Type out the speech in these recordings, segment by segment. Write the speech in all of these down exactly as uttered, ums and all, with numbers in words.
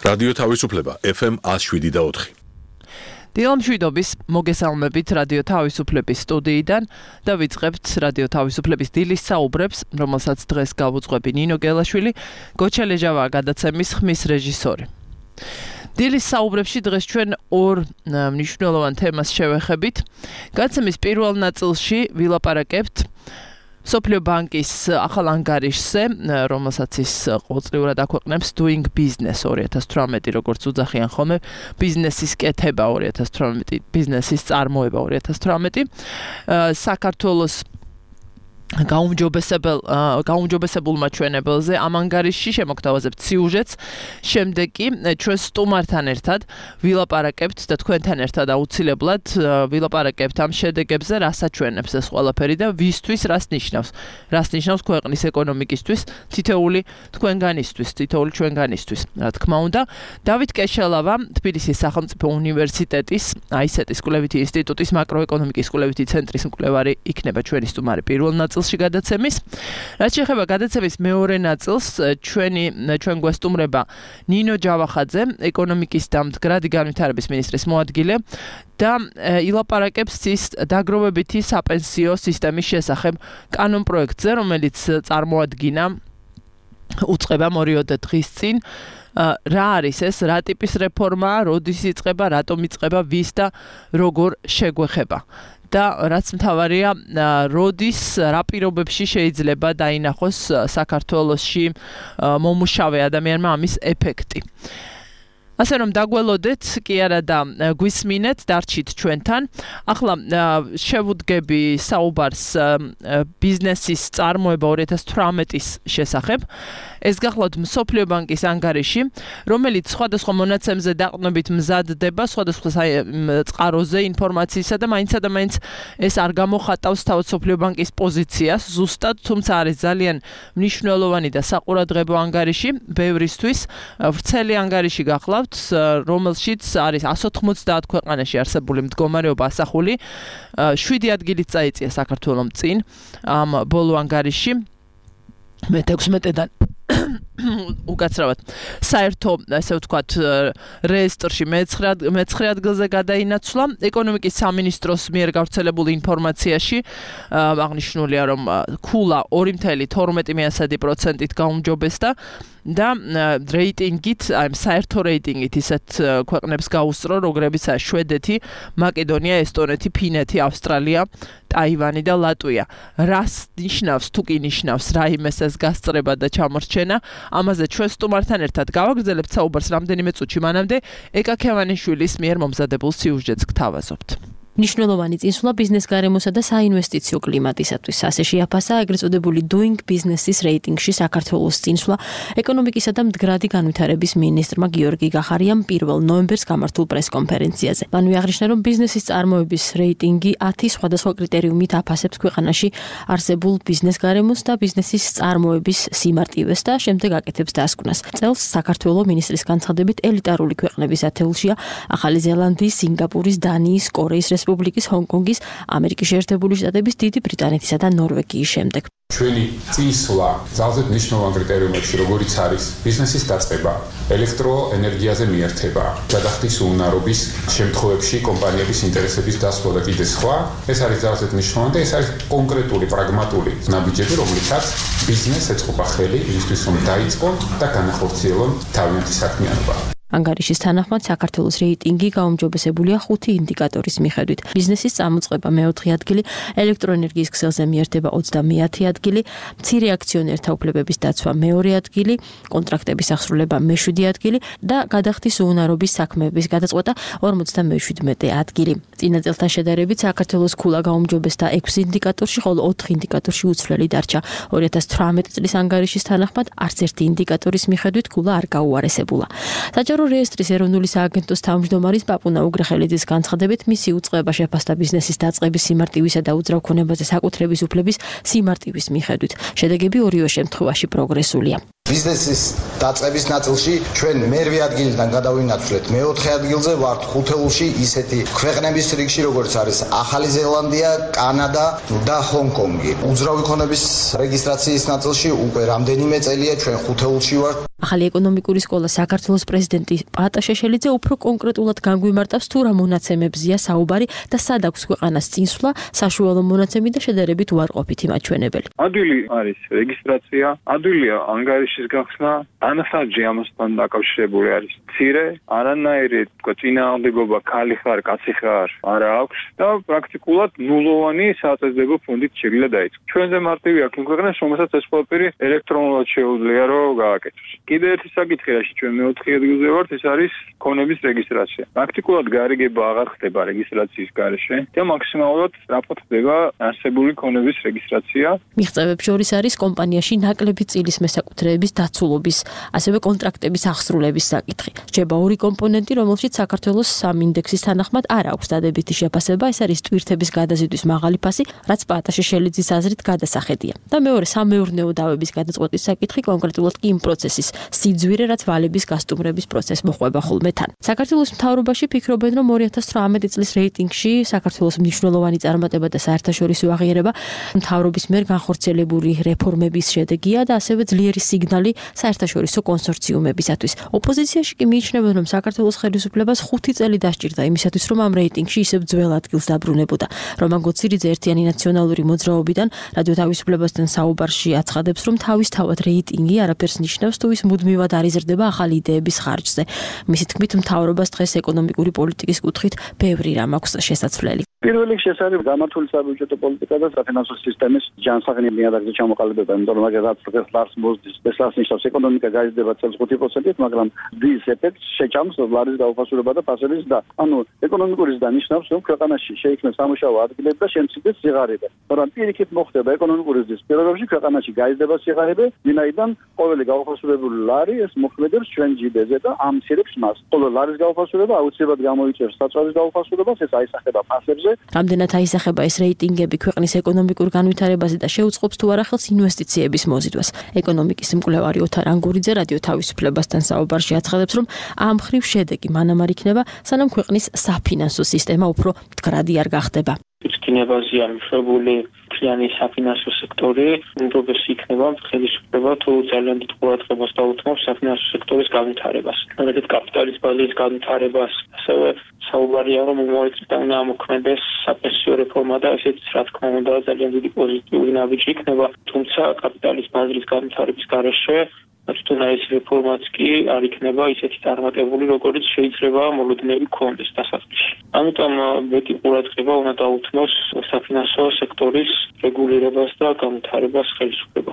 რადიო თავისუფლება ეფ ემ one oh seven და four. დილამშვიდობის მოგესალმებით რადიო თავისუფლების სტუდიიდან და ვიწყებთ რადიო თავისუფლების დილის საუბრებს, რომელსაც დღეს გავუძღვები ნინო გელაშვილი, გოჩა ლეჟავაა გადაცემის ხმის რეჟისორი. დილის საუბრებში დღეს ჩვენ ორ მნიშვნელოვან თემას შევეხებით. გადაცემის პირველ ნაწილში ვილაპარაკებთ მსოფლიო ბანკის ახალ ანგარიშზე, რომელსაც ის ყოველწლიურად აქვეყნებს Doing Business two thousand eighteen, როგორც უძახიან ხოლმე, ბიზნესის კეთება two thousand eighteen, ბიზნესის წარმოება two thousand eighteen, საქართველოს გაუმჯობესებელ გაუმჯობესებულმა ჩვენებელზე ამ ანგარიშში შემოგთავაზებთ სიუჟეტს, შემდეგ კი ჩვენ სტუმართან ერთად ვილაპარაკებთ და თქვენთან ერთად აუცილებლად ვილაპარაკებთ ამ შედეგებზე, რას აჩვენებს ეს ყველაფერი და ვისთვის რას ნიშნავს. რას ნიშნავს ქვეყნის ეკონომიკისთვის, თითოეული თქვენგანისთვის, თითოეული ჩვენგანისთვის, რა თქმა უნდა. დავით კეშელავა, თბილისის სახელმწიფო უნივერსიტეტის აი ეს ეტ-ის კვლევითი ინსტიტუტის მაკროეკონომიკის კვლევითი ცენტრის მკვლევარი იქნება ჩვენი სტუმარი პირველ ნაწილში გადაცემის. რაც შეეხება გადაცემის მეორე ნაწილს, ჩვენი ჩვენ გვესტუმრება ნინო ჯავახაძე, ეკონომიკის და მდგრადი განვითარების მინისტრის მოადგილე და ილაპარაკებს ის დაგროვებითი საპენსიო სისტემის შესახებ კანონპროექტზე, რომელიც წარმოადგინა უწყება მორიოდე დღის წინ. რა არის ეს, რა ტიპის რეფორმაა, როდის იწყება, რატომ იწყება, ვის და როგორ შეგვეხება. და რაც მთავარია, როდის, რა პირობებში შეიძლება დაინახოს საქართველოში მომუშავე ადამიანმა ამის ეფექტი. ასე რომ დაგველოდეთ, კი არა და გვისმინეთ, დარჩით ჩვენთან. ახლა შევუდგები საუბარს ბიზნესის წარმოება two thousand eighteen-ის შესახებ. ეს გახლავთ მსოფლიო ბანკის ანგარიში, რომელიც სხვადასხვა მონაცემზე დაყრდნობით მზადდება, სხვადასხვა წყაროზე ინფორმაციისა და მაინცსა და მაინც ეს არ გამოხატავს თავად მსოფლიო ბანკის პოზიციას ზუსტად, თუმცა არის ძალიან მნიშვნელოვანი და საყურადღებო ანგარიში ბევრისთვის. ვრცელი ანგარიში გახლავთ, რომელშიც არის one hundred ninety ქვეყანაში არსებული მდგომარეობა ასახული. შვიდი ადგილით წაიწია საქართველომ წინ ამ ბოლო ანგარიში. მე თექვსმეტედან უკაცრავად საერთო, ასე ვთქვათ, რეესტრში მეცხრე ადგილზე გადაინაცვლა. ეკონომიკის სამინისტროს მიერ გავრცელებული ინფორმაციაში აღნიშნულია, რომ ქულა two point twelve პროცენტით გაუმჯობესდა და რეიტინგით, აი საერთო რეიტინგით ისეთ ქვეყნებს გაუსწრო, როგორებიცაა შვედეთი, მაკედონია, ესტონეთი, ფინეთი, ავსტრალია, ტაივანი და ლატვია. რას ნიშნავს, თუ კი ნიშნავს რაიმეს ეს გასწრება და ჩამორჩენა, ამაზე ჩვენ სტუმართან ერთად გავაგრძელებთ საუბარს რამდენიმე წუთში, მანამდე ეკა ქევანიშვილის მიერ მომზადებულ სიუჟეტს გთავაზობთ. მნიშვნელოვანი წინსვლა ბიზნეს გარემოსა და საინვესტიციო კლიმატისათვის. ასე შეაფასა ეგრეთ წოდებული Doing Business-ის რეიტინგში საქართველოს წინსვლა ეკონომიკისა და მდგრადი განვითარების მინისტრმა გიორგი გახარიამ პირველ ნოემბერს გამართულ პრესკონფერენციაზე. მან აღნიშნა, რომ ბიზნესის წარმოების რეიტინგი ten სხვადასხვა კრიტერიუმით აფასებს ქვეყანაში არსებულ ბიზნეს გარემოს და ბიზნესის წარმოების სიმარტივეს და შემდეგ აკეთებს დასკვნას. წელს საქართველოს მინისტრის განცხადებით ელიტარული ქვეყნების ათეულშია ახალი ზელანდიის, სინგაპურის, დანიის, კორეის რესპუბლიკის, ჰონგ-კონგის, ამერიკის შეერთებული შტატების, დიდი ბრიტანეთისა და ნორვეგიის შემდეგ. ჩვენი წინსვლა ძალზედ მნიშვნელოვან კრიტერიუმებში, როგორიც არის ბიზნესის დაწყება, ელექტროენერგიაზე მიერთება, გადახდის უნარობის შემთხვევებში კომპანიების ინტერესების დასვლა და კიდე სხვა. ეს არის ძალზედ მნიშვნელოვანი და ეს არის კონკრეტული, პრაგმატული ნაბიჯები, რომლითაც ბიზნესს ეწყობა ხელი იმისთვის, რომ დაიწყონ და განახორციელონ თავიანთი საქმიანობა. ანგარიშის თანახმად საქართველოს რეიტინგი გაუმჯობესებულია ხუთი ინდიკატორის მიხედვით. ბიზნესის წამოწყება მეოთხე ადგილი, ელექტროენერგიის ქსელზე მიერთება ოცდამეათე ადგილი, მცირე აქციონერთა უფლებების დაცვა მეორე ადგილი, კონტრაქტების აღსრულება მეშვიდე ადგილი და გადახდის უუნარობის საქმეების გადაწყვეტა ორმოცდამეშვიდმეტე ადგილი. წინა წელთან შედარებით საქართველოს ქულა გაუმჯობესდა ექვსი ინდიკატორში, ხოლო ოთხ ინდიკატორში უცვლელი დარჩა. two thousand eighteen წლის ანგარიშის თანახმად არც ერთი ინდიკატორის მიხედვით ქულა არ გაუარესებულა. საჯარო რეესტრის ეროვნული სააგენტოს თავმჯდომარის პაპუნა უგრეხელიძის განცხადებით, მისი უწყება შეფასდა ბიზნესის დაწყების სიმარტივისა და უძრავ ქონებაზე საკუთრების უფლების სიმარტივის მიხედვით. შედეგები ორივე შემთხვევაში პროგრესულია. ბიზნესის დაწყების ნაწილში ჩვენ მერვე ადგილიდან გადავინაცვლეთ მეოთხე ადგილზე ვართ ხუთეულში ისეთი ქვეყნების რიგში როგორც არის ახალი ზელანდია, კანადა და ჰონგ-კონგი. უძრავი ქონების რეგისტრაციის ნაწილში უკვე რამდენიმე წელია ჩვენ ხუთეულში ვართ. ახალი ეკონომიკური სკოლა საქართველოს პრეზიდენტი პაატა შეშელიძე უფრო კონკრეტულად განგვიმარტავს თუ რა მონაცემებზია საუბარი და სად აქვს ქვეყანას წინსვლა, საშუალო მონაცემი და შედარებით უარყოფითი მაჩვენებელი. ადვილი არის რეგისტრაცია, ადვილია ანგარიშის გახსნა, ანახარჯი ამასთან დაკავშირებული არის მცირე, არანაირი წინააღმდეგობა ქალი ხარ, კაცი ხარ არა აქვს და პრაქტიკულად ნულოვანი საწესდებო ფონდით შეიძლება დაიწყოს. ჩვენზე მარტივი აქ იმ ქვეყნას, რომელსაც ეს ყველაფერი ელექტრონულად შეუძლია რომ გააკეთოს. კიდევ ერთი საკითხი, რაში ჩვენ მეოთხე ადგილზე ვართ, ეს არის ქონების რეგისტრაცია. პრაქტიკულად გარიგება აღარ ხდება რეგისტრაციის გარეშე და მაქსიმალურად სწრაფად ხდება არსებული ქონების რეგისტრაცია. მიღწევებს შორის არის კომპანიაში ნაკლები წილის მესაკუთრეების დაცულობის, ასევე კონტრაქტების აღსრულების საკითხი. რჩება ორი კომპონენტი, რომელშიც საქართველოს სამინდექსის თანახმად არ აქვს დადებითი შეფასება, ეს არის ტვირთების გადაზიდვის მაღალი ფასი, რაც პაატა შეშელიძის აზრით გადასახედია. და მეორე სამეურნეო დავების გადაწყვეტის საკითხი, კონკრეტულად კი იმ პროცესის სიძვირე, რაც ვალების გასტუმრების პროცესს მოყვება ხოლმე თან. საქართველოს მთავრობაში ფიქრობენ, რომ ორი ათას ცხრამეტი წლის რეიტინგში საქართველოს მნიშვნელოვანი წარმატება და საერთაშორისო აღიარება მთავრობის მიერ განხორციელებული რეფორმების შედეგია და ასევე ძლიერი სიგნალი საერთაშორისო კონსორციუმებისათვის. ოპოზიციაში კი მიიჩნევენ, რომ საქართველოს ხელისუფლებას ხუთი წელი დასჭირდა იმისათვის, რომ ამ რეიტინგში ისევ ძველ ადგილს დაბრუნებოდა. რომან გოცირიძე ერთიანი ნაციონალური მოძრაობიდან რადიო თავისუფლებასთან საუბარში აცხადებს, რომ თავისთავად რეიტინგი არაფერს ნიშნავს თუ ის მუდმივად არ იზრდება ახალი იდეების ხარჯზე. მისი თქმით, მთავრობას დღეს ეკონომიკური პოლიტიკის კუთხით ბევრი რამ აქვს შესაძლებელი. პირველ რიგში ეს არის გამართული საბიუჯეტო პოლიტიკა და საფინანსო სისტემის ჯანსაღი ნიადაგზე ჩამოყალიბება, იმიტომ რომ მაგალითად დღეს ლარს მოზდის, ეს ლარს ნიშნავს ეკონომიკა გაიზრდება წელს ხუთი პროცენტით, მაგრამ დის ეფექტს შეჭამს ლარის გაუფასურება და ფასების და ანუ ეკონომიკური ზრდა ნიშნავს, რომ ქვეყანაში შეიქმნეს სამუშაო ადგილები და შემცირდეს სიღარიბე. მაგრამ პირიქით მოხდება ეკონომიკური ზრდის პირობებში ქვეყანაში გაიზრდება სიღარიბე, ვინაიდან ყოველი გაუფასურებული ლარი ეს მოქმედებს ჩვენ ჯიბეზე და ამცირებს მას. ხოლო ლარის გაუფასურება აუცილებლად გამოიწვევს საწვავის გაუფასურებას, ეს აისახება ფასებზე. რამდენად აისახება ეს რეიტინგები ქვეყნის ეკონომიკურ განვითარებაზე და შეუწყობს თუ არა ხელს ინვესტიციების მოზიდვას. ეკონომიკის მკვლევარი ოთარ ანგურიძე რადიო თავისუფლებასთან საუბარში აცხადებს, რომ ამ მხრივ შედეგი მანამ არ იქნება, სანამ ქვეყნის საფინანსო სისტემა უფრო მდგრადი არ გახდება. უწყინებაზეა მიშვებული მთლიანი საფინანსო სექტორი, უმჯობესი იქნება ხელისუფლება თუ ძალიან დიდ ყურადღებას დაუთმობს საფინანსო სექტორის განვითარებას. მაგალითად, კაპიტალის ბაზის განვითარებას, ასევე საუბარია, რომ მოიწვია უნდა ამოქმედეს საპენსიო რეფორმა და ესეც რა თქმა უნდა ძალიან დიდი პოზიტიური ნაბიჯი იქნება, თუმცა კაპიტალის ბაზრის განვითარების გარეშე თვითონ ეს რეფორმაც კი არ იქნება ისეთი წარმატებული, როგორც შეიძლება მოლოდინები გქონდეს დასაწყისში. ამიტომ მეტი ყურადღება უნდა დაუთმოს საფინანსო სექტორის რეგულირებას და განვითარებას ხელისუფლება.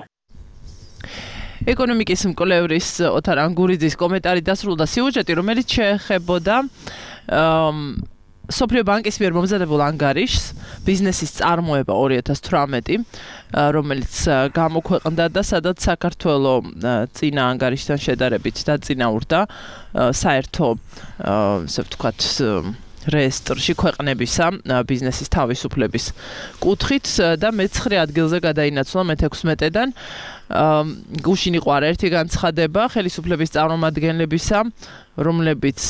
ეკონომიკის მკვლევრის ოთარ ანგურიძის კომენტარი დასრულდა სიუჟეტი, რომელიც შეეხებოდა სოფლიო ბანკის მიერ მომზადებულ ანგარიშს ბიზნესის წარმოება ორი ათას ცხრამეტი, რომელიც გამოქვეყნდა და სადაც საქართველოს წინა ანგარიშთან შედარებით დაწინაურდა საერთო, ასე ვთქვათ, რეესტრში ქვეყნებისა ბიზნესის თავისუფლების კუთხით და მეცხრე ადგილზე გადაინაცვლა მეთექვსმეტედან. გუშინ იყო არაერთი განცხადება ხელისუფლების წარმომადგენლებისა, რომლებიც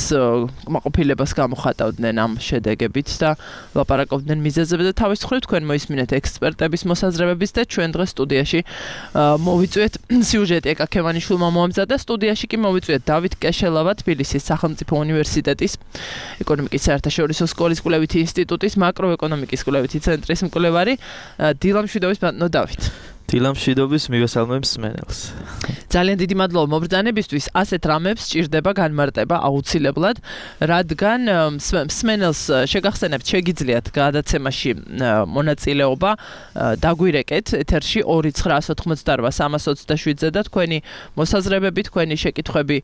კმაყოფილებას გამოხატავდნენ ამ შედეგებით და ლაპარაკობდნენ მიზეზებზე და თავის მხრივ თქვენ მოისმინეთ ექსპერტების მოსაზრებების და ჩვენ დღეს სტუდიაში მოვიწვიეთ სიუჟეტი ეკა ქემანიშვილმა მოამზადა, სტუდიაში კი მოვიწვიეთ დავით კეშელავა, თბილისის სახელმწიფო უნივერსიტეტის ეკონომიკის საერთაშორისო სკოლის კვლევითი ინსტიტუტის მაკროეკონომიკის კვლევითი ცენტრის მკვლევარი დილა მშვიდობის ბატონო დავით. დილა მშვიდობის მივესალმებს მსმენელს. ძალიან დიდი მადლობა მობრძანებისთვის. ასეთ რამებს სჭირდება განმარტება აუცილებლად, რადგან მსმენელს შეგახსენებთ, შეგიძლიათ გადაცემაში მონაწილეობა დაგვირეკეთ ეთერში ორი ცხრაას ოთხმოცდარბა სამას ოცდაშვიდზე და თქვენი მოსაზრებები, თქვენი შეკითხვები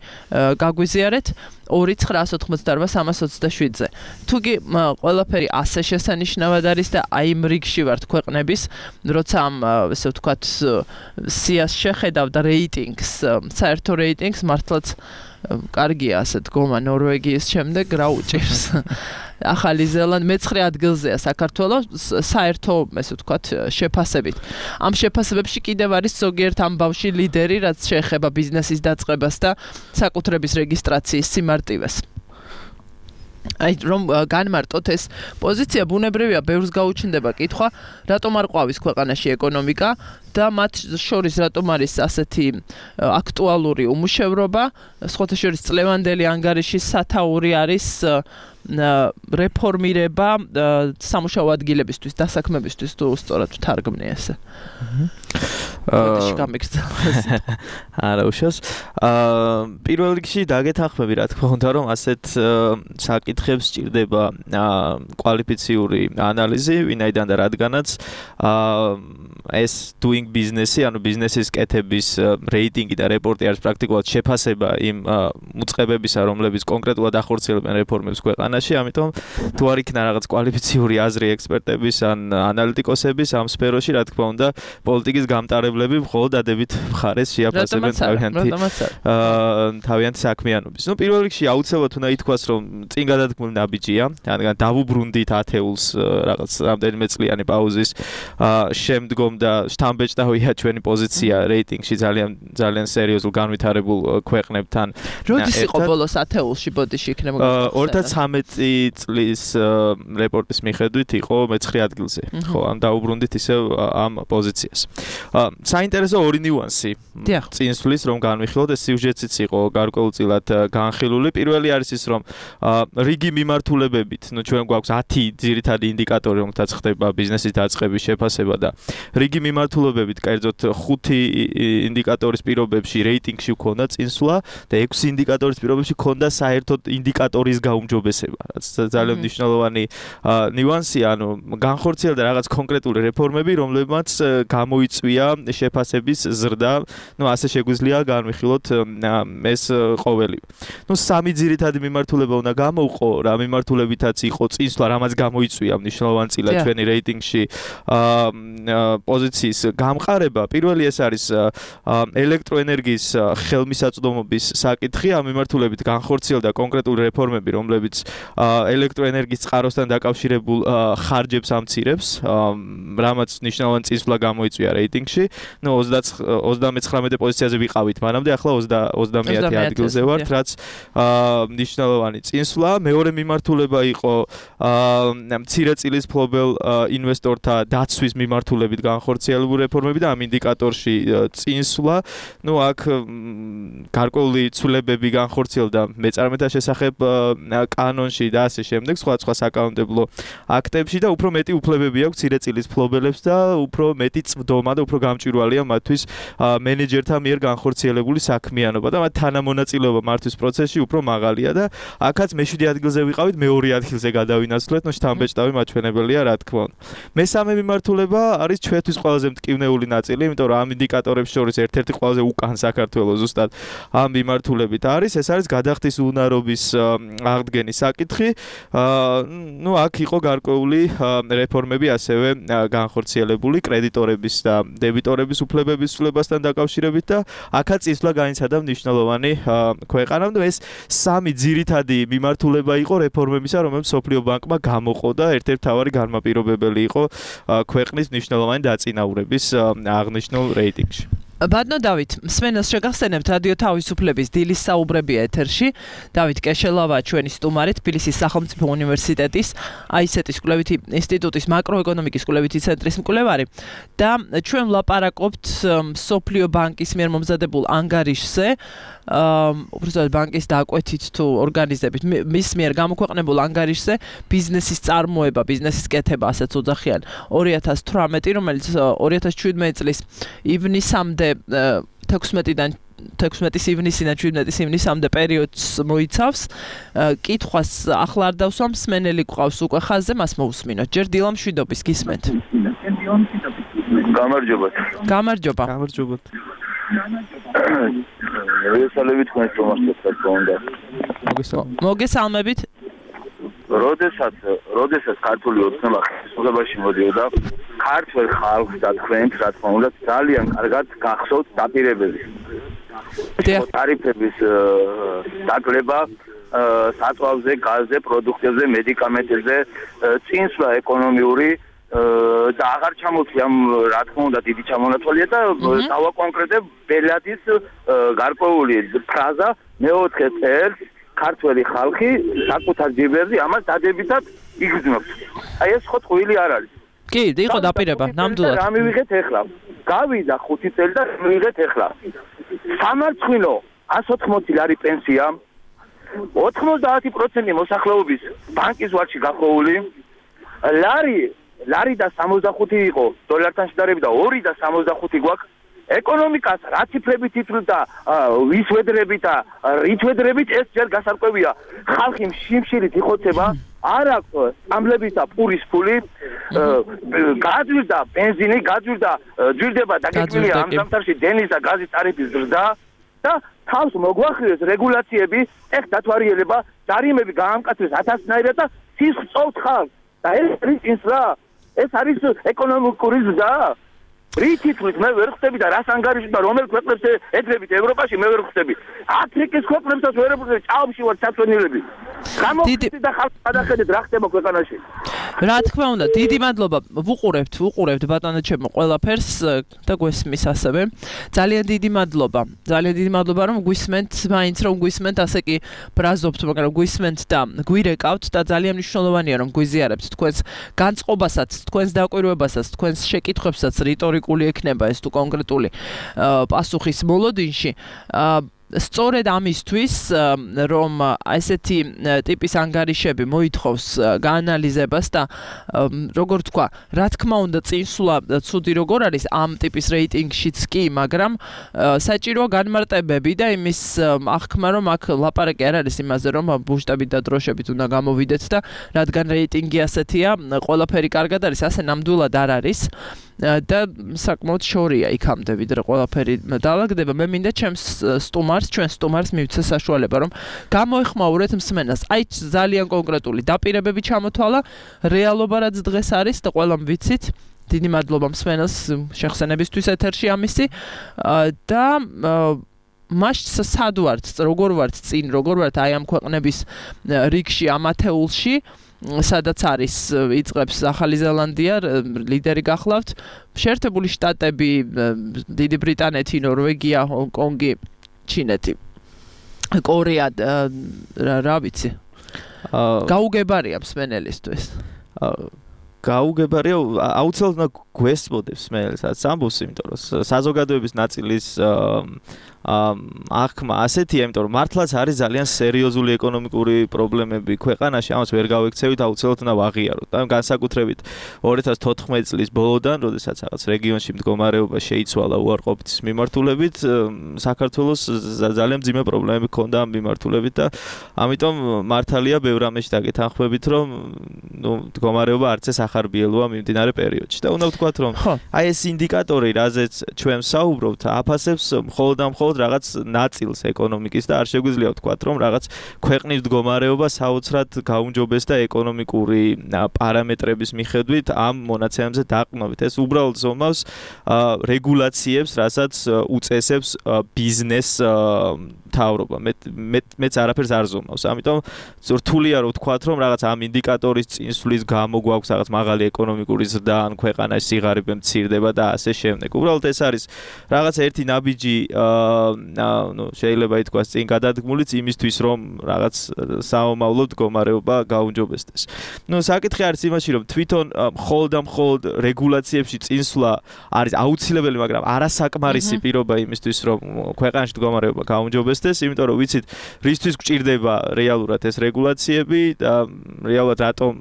გაგვიზიარეთ ორი ცხრაას ოთხმოცდარბა სამას ოცდაშვიდზე. თუგი ყველაფერი ასე შესანიშნავად არის და აი იმ რიგში ვართ ქვეყნების, როცა ამ ესე ვთქვათ სიას შეხედავ და რეიტინგს, საერთო რეიტინგს მართლაც კარგია ასე დგომა ნორვეგიის შემდეგ რა უჭირს. ახალი ზელანდია მეცხრე ადგილზეა საქართველოს საერთო, ესე ვთქვათ, შეფასებით. ამ შეფასებებში კიდევ არის ზოგიერთ ამბავში ლიდერი, რაც შეეხება ბიზნესის დაწყებას და საკუთრების რეგისტრაციის სიმარტივეს. აი რომ განმარტოთ ეს პოზიცია ბუნებრივია, ბევრს გაუჩნდება კითხვა, რატომ არ ყვავის ქვეყანაში ეკონომიკა და მათ შორის რატომ არის ასეთი აქტუალური უმუშევრობა, სხვათა შორის წლევანდელი ანგარიშის სათაური არის რეფორმირება სამუშაო ადგილებისთვის, დასაქმებისთვის, თუ სწორად ვთარგმნი ესე. არა უშავს. აა პირველ რიგში დაგეთანხმები, რა თქმა უნდა, რომ ასეთ საკითხებს სჭირდება კვალიფიციური ანალიზი, ვინაიდან და რადგანაც აა ეს doing business-ი, ანუ ბიზნესის კეთების რეიტინგი და რეპორტი არის პრაქტიკულად შეფასება იმ უწყებებისა, რომლებიც კონკრეტულად ახორციელებენ რეფორმებს ქვეყანაში, ამიტომ თუ არ იქნა რაღაც კვალიფიციური აზრი ექსპერტების ან ანალიტიკოსების ამ სფეროში, რა თქმა უნდა, პოლიტიკის გამტარებლები მხოლოდ ადებით მხარეს შეაფასებენ თავიანთი თავიანთი საქმიანობის. ნუ პირველ რიგში აუცილებლად უნდა ითქვას, რომ წინ გადადგმული ნაბიჯია, რადგან დავუბრუნდით ათეულს რაღაც რამდენიმე წლიანი პაუზის შემდგომ და შთამბეჭდავია ჩვენი პოზიცია რეიტინგში ძალიან ძალიან სერიოზულ განვითარებულ ქვეყნებთან. როდის იყო ბოლოს ათეულში ბოდიში იქნება? ორი ათას ცხრამეტი წლის რეპორტის მიხედვით იყო მეცხრე ადგილზე. ხო, ამ დაუბრუნდით ისევ ამ პოზიციას. საინტერესო ორი ნიუანსი წინსვლის რომ განვიხილოთ, ეს სიუჟეტიც იყო გარკვეულწილად განხილული. პირველი არის ის, რომ რიგი მიმართულებებით, ნუ ჩვენ გვაქვს ათი ძირითადი ინდიკატორი, რომელთაც ხდება ბიზნესის დაწყების შეფასება და რიგი მიმართულებებით, კერძოდ ხუთი ინდიკატორის პირობებში რეიტინგში ჰქონდა წინსვლა და ექვსი ინდიკატორის პირობებში ჰქონდა საერთოდ ინდიკატორის გაუმჯობესება, რაც ძალიან მნიშვნელოვანი ნიუანსია, ანუ განხორციელდა რაღაც კონკრეტული რეფორმები, რომლებმაც გამოიწვია შეფასების ზრდა, ну ასე შეგვიძლია განვიხილოთ ეს ყოველი. ну სამი ძირითადი მიმართულება უნდა გამოვყო, რა მიმართულებითაც იყო წინსვლა, რამაც გამოიწვია მნიშვნელოვანწილად ჩვენი რეიტინგში პოზიციის გამყარება. პირველი ეს არის ელექტროენერგიის ხელმისაწვდომობის საკითხი, ამ მიმართულებით განხორციელდა კონკრეტული რეფორმები, რომლებიც ელექტროენერგიის წყაროსთან დაკავშირებულ ხარჯებს ამცირებს, რამაც მნიშვნელოვანი წინსვლა გამოიწვია რეიტინგში. ну ოცდამეცხრამეტე პოზიციაზე ვიყავით მანამდე, ახლა ოცდამეათე ადგილზე ვართ, რაც მნიშვნელოვანი წინსვლა. მეორე მიმართულება იყო მცირე წილის ფლობელ ინვესტორთა დაცვის მიმართულებით განხორციელებული რეფორმები და ამ ინდიკატორში წინსვლა. ну აქ გარკვეული ცვლილებები განხორციელდა მეწარმეთა შესახებ კანონში და ასე შემდეგ, სხვა სხვა საკანონმდებლო აქტებში და უფრო მეტი უფლებები აქვს მცირე წილის ფლობელებს და უფრო მეტი წვდომა და უფრო გამჭვირვალეა მათთვის მენეჯერთა მიერ განხორციელებული საქმიანობა და მათ თანამონაწილეობა მართვის პროცესში უფრო მაღალია და აქაც მეშვიდე ადგილზე ვიყავით, მეორე ადგილზე გადავინაცვლეთ, ნუ შთამბეჭდავი მაჩვენებელია, რა თქმა უნდა. მესამე მიმართულება არის ჩვენთვის ყველაზე მტკივნეული ნაწილი, იმიტომ რომ ამ ინდიკატორებს შორის ერთ-ერთი ყველაზე უკან საქართველოს ზუსტად ამ მიმართულებით არის, ეს არის გადახდის უნარობის აღდგენის საკითხი. ну აქ იყო გარკვეული რეფორმები ასევე განხორციელებული კრედიტორების და დებიტორების უფლებების ცვლილებასთან დაკავშირებით და აქაც წინსვლა განიცადა მნიშვნელოვანი ქვეყანამ. ну ეს სამი ძირითადი მიმართულება იყო რეფორმებისა, რომელიც სოფლიო ბანკმა გამოყო და ერთ-ერთი მთავარი განმაპირობებელი იყო ქვეყნის მნიშვნელოვანი დაწინაურების აღნიშნულ რეიტინგში. ბატონო დავით, მსმენელს შეგახსენებთ რადიო თავისუფლების დილის საუბრებია ეთერში. დავით კეშელავა ჩვენი სტუმარი, თბილისის სახელმწიფო უნივერსიტეტის აი ეს ეტის კვლევითი ინსტიტუტის მაკროეკონომიკის კვლევითი ცენტრის მკვლევარი და ჩვენ ვლაპარაკობთ სოფლიო ბანკის მიერ მომზადებულ ანგარიშზე, უბრალოდ ბანკის დაკვეთით თუ ორგანიზებით მის მიერ გამოქვეყნებულ ანგარიშზე ბიზნესის წარმოება, ბიზნესის კეთება, ასეც ოძახიან ორი ათას თვრამეტი, რომელიც ორი ათას შვიდმეტი წლის ივნისამდე თექვსმეტიდან თექვსმეტის ივნისიდან შვიდმეტის ივნისამდე პერიოდს მოიცავს. კითხვას ახლა არ დავსვამ, მსმენელი გვყავს უკვე ხაზზე, მას მოусმინოთ. ჯერ დილა მშვიდობის გისმენთ. გამარჯობათ. გამარჯობა. გამარჯობათ. მოგესალმებით თქვენს თომასთან კონდა. მოგესალმებით. როდესაც როდესაც ქართული ოცნება ხელისუფლებაში მოდიოდა, ქართველ ხალხს და თქვენს, რა თქმა უნდა, ძალიან კარგად გახსოვთ დაპირებები. ტარიფების დაკლება საწვავზე, გაზზე, პროდუქტებზე, მედიკამენტებზე, წინსვლა ეკონომიური და აღარ ჩამოთვლი ამ რა თქმა უნდა დიდი ჩამონათვალია და დავაკონკრეტებ ბელადის გარკვეული ფრაზა მეოთხე წელს ქართველი ხალხი საკუთარ ჯიბერზე ამას დადებითად იგრძნობს. აი ეს ხო ტყუილი არ არის. კი, იყო დაპირება, ნამდვილად. რა მივიღეთ ახლა? გავიდა ხუთი წელი და მივიღეთ ახლა. სამარცხვინო ას ოთხმოცი ლარი პენსია, ოთხმოცდაათი პროცენტი მოსახლეობის ბანკის ვარჯი გახოვული, ლარი ლარი და სამოცდახუთი იყო დოლართან შედარებით და ორი და სამოცდახუთი გვაქვს. ეკონომიკას რა ციფრებით ითვლით და ვის ვედრებით და რით ვედრებით ეს ჯერ გასარკვევია. ხალხი შიმშილით იხოცება, არ აქვს სამლების და პურის ფული, გაძვირდა ბენზინი, გაძვირდა ძვირდება დაგეკვირია ამ ზამთარში დენის და გაზის ტარიფის ზრდა და თავს მოგვახილეს რეგულაციები, ეხ დათვალიერება, ჯარიმები გაამკაცრეს ათასნაირად და ცის წოვთ ხალხს და ეს ის რა ეს არის ეკონომიკური ზრდა. რით ითვლით მე ვერ ხვდები და რას ანგარიშდება რომელ ქვეყნებს ეძებით ევროპაში მე ვერ ხვდები. აფრიკის ქვეყნებსაც ვერ ხვდები, ჭაობში ვარ საწვენილები. გამოვიდეთ და ხალხს გადახედეთ რა ხდება ქვეყანაში. რა თქმა უნდა, დიდი მადლობა. ვუყურებთ, ვუყურებთ ბატონო ჩემო ყველაფერს და გვესმის ასევე. ძალიან დიდი მადლობა. ძალიან დიდი მადლობა რომ გვისმენთ, მაინც რომ გვისმენთ, ასე კი ბრაზობთ, მაგრამ გვისმენთ და გვირეკავთ და ძალიან მნიშვნელოვანია რომ გვიზიარებთ თქვენს განწყობასაც, თქვენს დაკვირვებასაც, თქვენს შეკითხვებსაც რიტორიკული ექნება ეს თუ კონკრეტული პასუხის მოლოდინში. სწორედ ამისთვის რომ ესეთი ტიპის ანგარიშები მოითხოვს გაანალიზებას და როგორ თქვა, რა თქმა უნდა წინსვლა ცუდი როგორ არის ამ ტიპის რეიტინგშიც კი, მაგრამ საჭიროა განმარტებები და იმის აღქმა რომ აქ ლაპარაკი არ არის იმაზე რომ ბუშტებით და დროშებით უნდა გამოვიდეთ და რადგან რეიტინგი ასეთია, ყველაფერი კარგად არის, ასე ნამდვილად არ არის. და საკმაოდ შორია იქამდე ვიდრე ყველაფერი დაალაგდება. მე მინდა ჩემს სტუმარს, ჩვენ სტუმარს მივცე საშუალება რომ გამოეხმაურეთ მსმენელს. აი ძალიან კონკრეტული დაპირებები ჩამოთვალა, რეალობა რაც დღეს არის და ყველამ ვიცით. დიდი მადლობა მსმენელს შეხსენებისთვის ეთერში ამისი და მაშ სად ვართ, როგორ ვართ წინ, როგორ ვართ აი ამ ქვეყნების რიგში, ამ ათეულში, სადაც არის იწყებს ახალი ზელანდია, ლიდერი გახლავთ, შეერთებული შტატები, დიდი ბრიტანეთი, ნორვეგია, ჰონკონგი, ჩინეთი, კორეა, რა ვიცი. გაუგებარია მსმენელისთვის. გაუგებარია, აუცილებლად გვესწოდებს მსმენელსაც ამბობს, იმიტომ რომ საზოგადოების ნაწილის აღქმა ასეთია, იმიტომ რომ მართლაც არის ძალიან სერიოზული ეკონომიკური პრობლემები ქვეყანაში, ამას ვერ გავექცევით, აუცილებლად უნდა ვაღიაროთ. და განსაკუთრებით ორი ათას თოთხმეტი წლის ბოლოდან, როდესაც რაღაც რეგიონში მდგომარეობა შეიცვალა უარყოფითის მიმართულებით, საქართველოს ძალიან მძიმე პრობლემები ჰქონდა ამ მიმართულებით და ამიტომ მართალია ბევრ ამაში დაგეთანხმებით, რომ ნუ მდგომარეობა არც ეს ახარბიელოა მიმდინარე პერიოდში. და უნდა ვთქვათ, რომ აი ეს ინდიკატორი, რაზეც ჩვენ საუბრობთ, აფასებს მხოლოდ და მხოლოდ რაღაც ნაწილს ეკონომიკის და არ შეგვიძლია ვთქვათ, რომ რაღაც ქვეყნის მდგომარეობა საოცრად გაუმჯობეს და ეკონომიკური პარამეტრების მიხედვით ამ მონაცემებზე დაყრდნობით. ეს უბრალოდ ზომავს რეგულაციებს, რასაც უწესებს ბიზნეს მთავრობა. მე მეც არაფერს არ ზომავს. ამიტომ რთულია რომ ვთქვათ, რომ რაღაც ამ ინდიკატორის წინსვლის გამო გვაქვს რაღაც მაღალი ეკონომიკური ზრდა ან ქვეყანაში სიღარიბე მცირდება და ასე შემდეგ. უბრალოდ ეს არის რაღაც ერთი ნაბიჯი ნუ შეიძლება ითქვას წინ გადადგმულიც იმისთვის რომ რაღაც საომავლო მდგომარეობა გაუმჯობესდეს. ნუ საკითხი არის იმაში რომ თვითონ მხოლოდ და მხოლოდ რეგულაციებში წინსვლა არის აუცილებელი, მაგრამ არასაკმარისი პირობა იმისთვის რომ ქვეყანაში მდგომარეობა გაუმჯობესდეს, იმიტომ რომ ვიცით რისთვის გვჭირდება რეალურად ეს რეგულაციები და რეალურად რატომ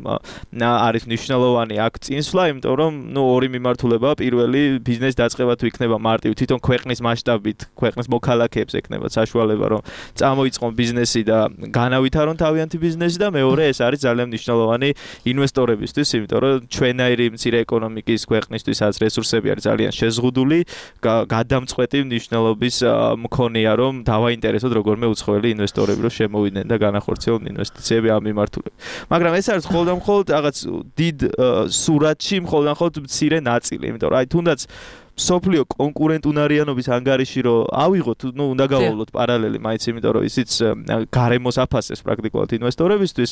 არის მნიშვნელოვანი აქ წინსვლა, იმიტომ რომ ნუ ორი მიმართულებაა, პირველი ბიზნეს დაწყება თუ იქნება მარტივ თვითონ ქვეყნის მასშტაბით, ქვეყნის მოქალაქეებს ექნება საშუალება რომ წამოიწყონ ბიზნესი და განავითარონ თავიანთი ბიზნესი და მეორე ეს არის ძალიან მნიშვნელოვანი ინვესტორებისთვის, იმიტომ რომ ჩვენაირი მცირე ეკონომიკის ქვეყნისთვისაც რესურსები არის ძალიან შეზღუდული, გადამწყვეტი მნიშვნელობის მქონეა რომ დავაინტერესოთ როგორმე უცხოელი ინვესტორები რომ შემოვიდნენ და განახორციელონ ინვესტიციები ამ მიმართულებით. მაგრამ ეს არის მხოლოდ და მხოლოდ რაღაც დიდ სურათში მხოლოდ და მხოლოდ მცირე ნაწილი, იმიტომ რომ აი თუნდაც სოფლიო კონკურენტუნარიანობის ანგარიში რომ ავიღოთ, ну, უნდა გავავლოთ პარალელი, მაინც იმიტომ რომ ისიც გარემოს აფასებს პრაქტიკულად ინვესტორებისთვის.